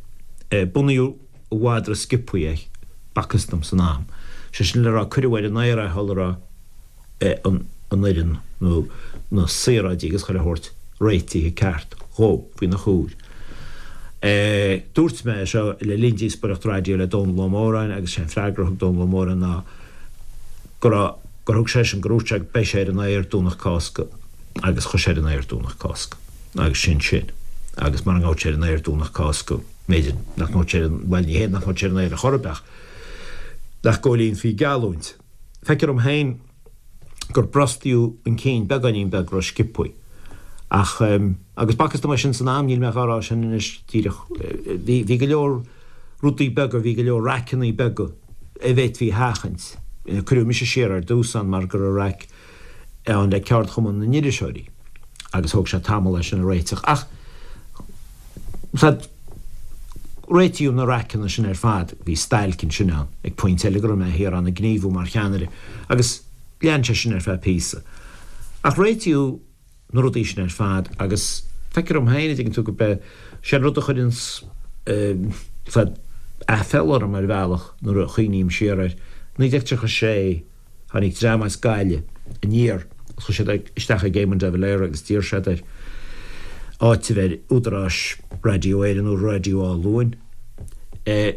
Bunaíodh i bhfad ró-sciobthaí é, b'fhacthas dom san am. Sé sin le rá, cuireadh ar an aer é shula raibh an fhoireann nó na saoráidí agus chuile shórt réitithe ceart dhó faoina chomhair. Dúirt mé é seo le linn díospóireacht raidió le Dónall Ó Móráin agus sé an freagra a thug Dónall Ó Móráin ná go raibh, gur thug seisean, gur dhúirt sé beidh sé ar an aer Domhnach Cásca. Agus chuaigh sé ar an aer Domhnach Cásca. Agus sin sin. Agus mara ngabhadh sé ar an aer Domhnach Cásca, b'fhéidir nach ngabhadh sé ar an, bhuel, ní hé nach ngabhadh sé ar an aer ar chor ar bith ach nach gcomhlíonfaí geallúint. Feictear dom féin gur brostaíodh an cinn beagáinín beag ró-sciobthaí. Ach, agus b'fhacthas dom é sin san am, níl mé dhá rá sin anois díreach. Bhí, bhí go leor rudaí beaga, bhí go leor raiceanna beaga a bhféadfaí a sheachaint. Cuireadh mise siar ar dtús ann mar go raibh raic ann le Ceardchumann na nIriseoirí agus thóg sé tamall é sin a réiteach. Ach réitíodh na raiceanna sin ar fad, bhí stailc ansin ann ag pointe eile go raibh mé thiar ann ag gníomhú mar cheannaire agus lean sé sin ar feadh píosa. Ach réitíodh na rudaí sin ar fad agus feictear dom féin, a dtuigeann tú, gurb é sin an rud a chuireanns aiféala orm ar bhealach nuair a chuimhním siar air. naoi déag tríocha sé, tháinig dream as Gaillimh aniar, chuaigh siad isteach ag Éamon de Valera agus d'iarr siad air áiteamh ar údaráis Raidió Éireann nó Raidió Átha Luain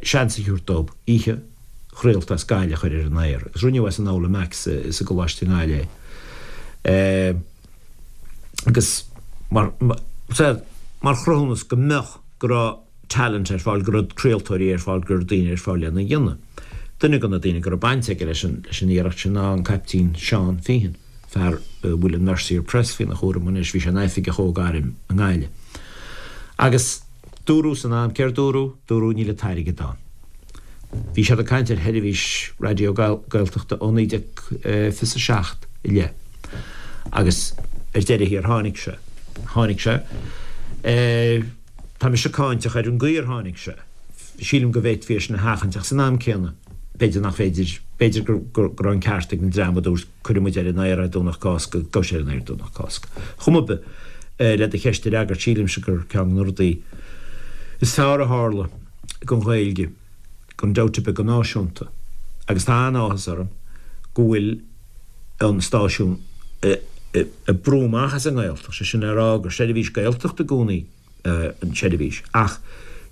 seans a thabhairt dóibh oíche chraolta as Gaillimh a chur ar an aer agus rinneadh é san Aula Mac sa gColáiste i nGaillimh é agus mar mar chruthúnas go mbeadh, go raibh talent ar fáil, go raibh craoltóirí ar fáil, go raibh daoine ar fáil lena dhéanamh. Duine de na daoine go raibh baint aige leis an leis an iarracht sin ná an Caiptín Seán Feehan, fear a bhfuil an Mercier Press faoina chúram anois, bhí sé ina oifigeach óg-airm i nGaillimh. Agus dúradh san am, céard dúradh? Dúradh níl an t-airgead ann. Bhí siad ag caint ar sheirbhís raidió Gaeltachta ó naoi déag fiche a seacht i leith agus ar deireadh thiar tháinig sé. Tháinig sé. Tá mise cáinteach ar an gcaoi ar tháinig sé. Sílim go bhféadfaí é sin a sheachaint ach san am céanna b'fhéidir nach féidir, b'fhéidir go raibh an ceart ag an dream a dúirt cuirfidh muid ar an aer é Domhnach Cásca, gabhfaidh sé ar an aer Domhnach Cásca. Chuma ar bith, le do cheist a fhreagairt, sílimse gur ceann de na rudaí is fearr a tharla don Ghaeilge, gan dabht ar bith, go náisiúnta. Agus tá an-áthas orm go bhfuil an stáisiún ag brú amach as an nGaeltacht, sé sin le rá gur seirbhís Gaeltachta i gcónaí an tseirbhís, ach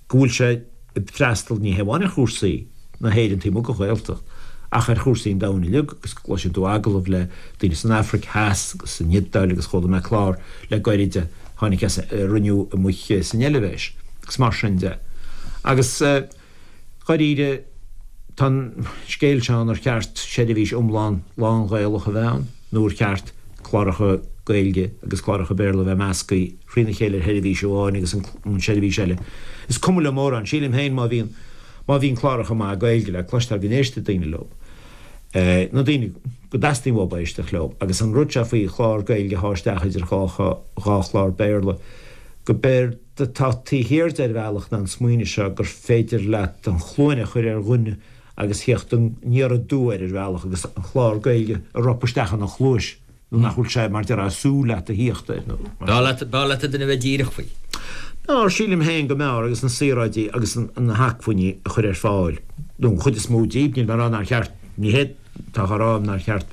go bhfuil sé ag freastal ní hamháin ar chúrsaí na hÉireann taobh amuigh den Ghaeltacht, ach ar chúrsaí an domhain uilig, agus go gcloiseann tú agallamh le daoine san Afraic Theas agus san Iodáil agus chuala mé clár le gairid a tháinig as a rinneadh amuigh san Eilvéis agus mar sin de. Agus dháiríre, tá an scéal seo ann ar cheart seirbhís iomlán lán-Ghaelach a bheith ann nó ar cheart cláracha Gaeilge agus cláracha Béarla a bheith measctha thrína chéile ar sheirbhís amháin agus an seirbhís eile. Is cuma liom mórán, sílim féin má bhíonn má bhíonn cláracha maithe Gaeilge le cloisteáil go n-éistfidh daoine leo. Na daoine go dteastaíonn uathu éisteacht leo. Agus an rud seo faoi chlár Gaeilge a shá isteach idir dhá dhá chlár Béarla, go b'éard atá taobh thiar de ar bhealach ná an smaoineamh seo gur féidir leat an chluain a chur ar dhuine agus theacht aniar aduaidh air ar bhealach agus an clár Gaeilge a ropadh isteach ina chluais nó nach bhfuil sé mar déarfá ag súil leat a thíocht air nó mar B'fhearr leat, b'fhearr leat duine a bheith díreach faoi. B'fhearr, sílim féin go mb'fhearr agus na saoráidí agus na hacmhainní a chur ar fáil, nó an chuid is mó díobh, níl mé ag rá nár cheart, ní hé atá á rá agam nár cheart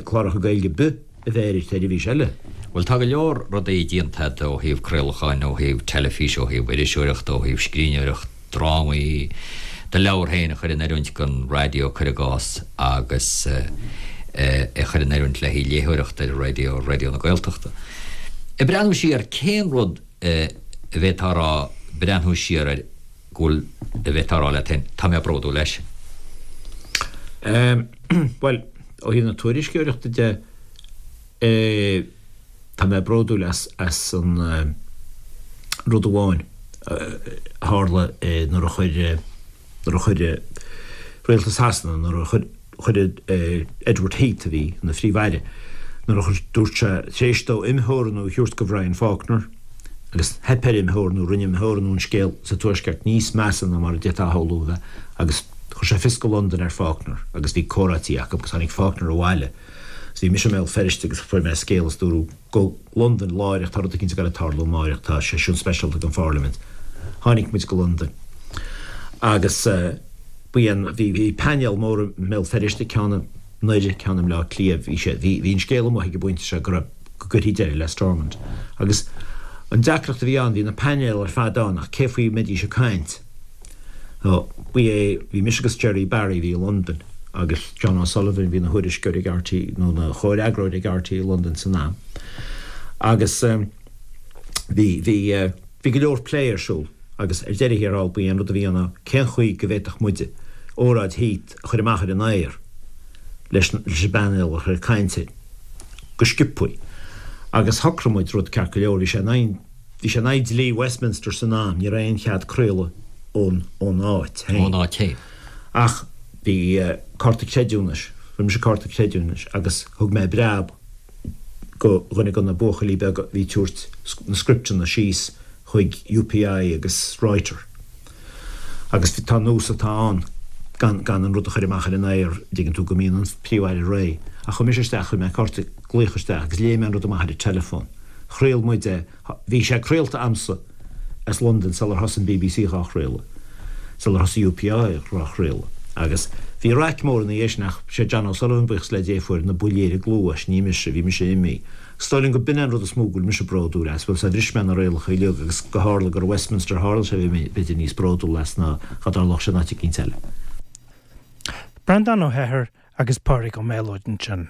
cláracha Gaeilge ar bith a bheith ar an tseirbhís eile. Bhuel, tá go leor rudaí déanta agat ó thaobh craolacháin, ó thaobh teilifíse, ó thaobh iriseoireachta, ó thaobh scríbhneoireacht, drámaí, do leabhar féin a chur in oiriúint don raidió, cuir i gcás, agus é a chur in oiriúint le haghaidh léitheoireachta ar raidió, Raidió na Gaeltachta. Ag breathnú siar, cén rud a bhféadfá a rá, breathnú siar air, go bhfuil, a bhféadfá a rá leat féin, tá mé bródúil leis? Bhuel, ó thaobh na tuairisceoireachta de, Tá mé bródúil as as an rud amháin a tharla nuair a chuir nuair a chuir Rialtas Shasana, nuair a chuir chuir Edward Heath, a bhí ina Phríomh-Aire, nuair a chuir, dúirt sé, tar éis dó imtheorannú a thabhairt do Bhrian Faulkner, agus theip ar imtheorannú, rinne imtheorannú an scéal sa Tuaisceart níos measa ná mar a d'fhéadfá a shamhlú a bheith, agus chuir sé fios go Londain ar Faulkner agus bhí comhráití acu agus tháinig Faulkner abhaile. Bhí mise i mBéal Feirste agus fuair mé scéal is dúradh go Londain láithreach, tá rud eicínt ag goil ag tarlú amáireach, tá seisiún speisialta den Phairlimint. Tháinig muid go Londain agus bhí an, bhí, bhí painéal mór i mBéal Feirste, ceann i nDoire, ceann i mBleá Cliath, bhí sé, bhí, bhí an scéal amuigh ag an bpointe seo go raibh, go gcuirfí deireadh le Stormont. Agus an deacracht a bhí ann, bhí na painéil ar fad ann ach cé faoi a mbeidís ag caint? Nó ba é, bhí mise agus Gerry Barry a bhí i Londain agus John O'Sullivan a bhí ina thuairisceoir ag RTÉ, nó ina chomhfhreagróir ag RTÉ i Londain san am. Agus bhí, bhí, bhí go leor plé ar siúl agus ar deireadh thiar thall ba é an rud a bhí ann ná cén chaoi go bhféadfadh muide óráid Heath a chur amach ar an aer leis, leis an bpainéal a chur ag caint air go sciobthaí. Agus shocraigh muid rud ceart go leor, bhí sé in aghaidh, bhí sé in aghaidh dlí Westminster san am, ní raibh aon chead craoladh ón, ón áit féin. Ón áit féin. Ach bhí cárta creidiúnais, fuair mise cárta creidiúnais agus thug mé breab go dhuine de na buachaillí beaga a bhí ag tabhairt na scripteanna síos chuig UPI agus Reuter. Agus tá nós atá ann gan gan an rud a chur amach ar an aer, dtuigeann tú, go mbíonn an Príomh-Aire réidh. Ach chuaigh mise isteach, chuir mé cárta glaoch isteach agus léigh mé an rud amach ar an teileafón. Chraol muid é, bhí sé craolta a'msa as Londain sular thosaigh an bbc dhá chraoladh, sular thosaigh UPI dhá chraoladh. Agus bhí raic mór ina dhiaidh sin ach sé John O'Sullivan, buíochas le Dia, a fuair na buillí ar an gcluais, ní mise, bhí mise imithe. Is dóigh liom go b'in é an rud is mó go bhfuil mise bródúil as, bhuel, sea, bhris mé na rialacha uilig agus go tharla gur i Westminster a tharla sé, bhí mé b'fhéidir níos bródúla as ná dá dtarlódh sé in áit eicínt eile. Breandán Ó hEithir agus Pádraig Ó Méalóid ansin.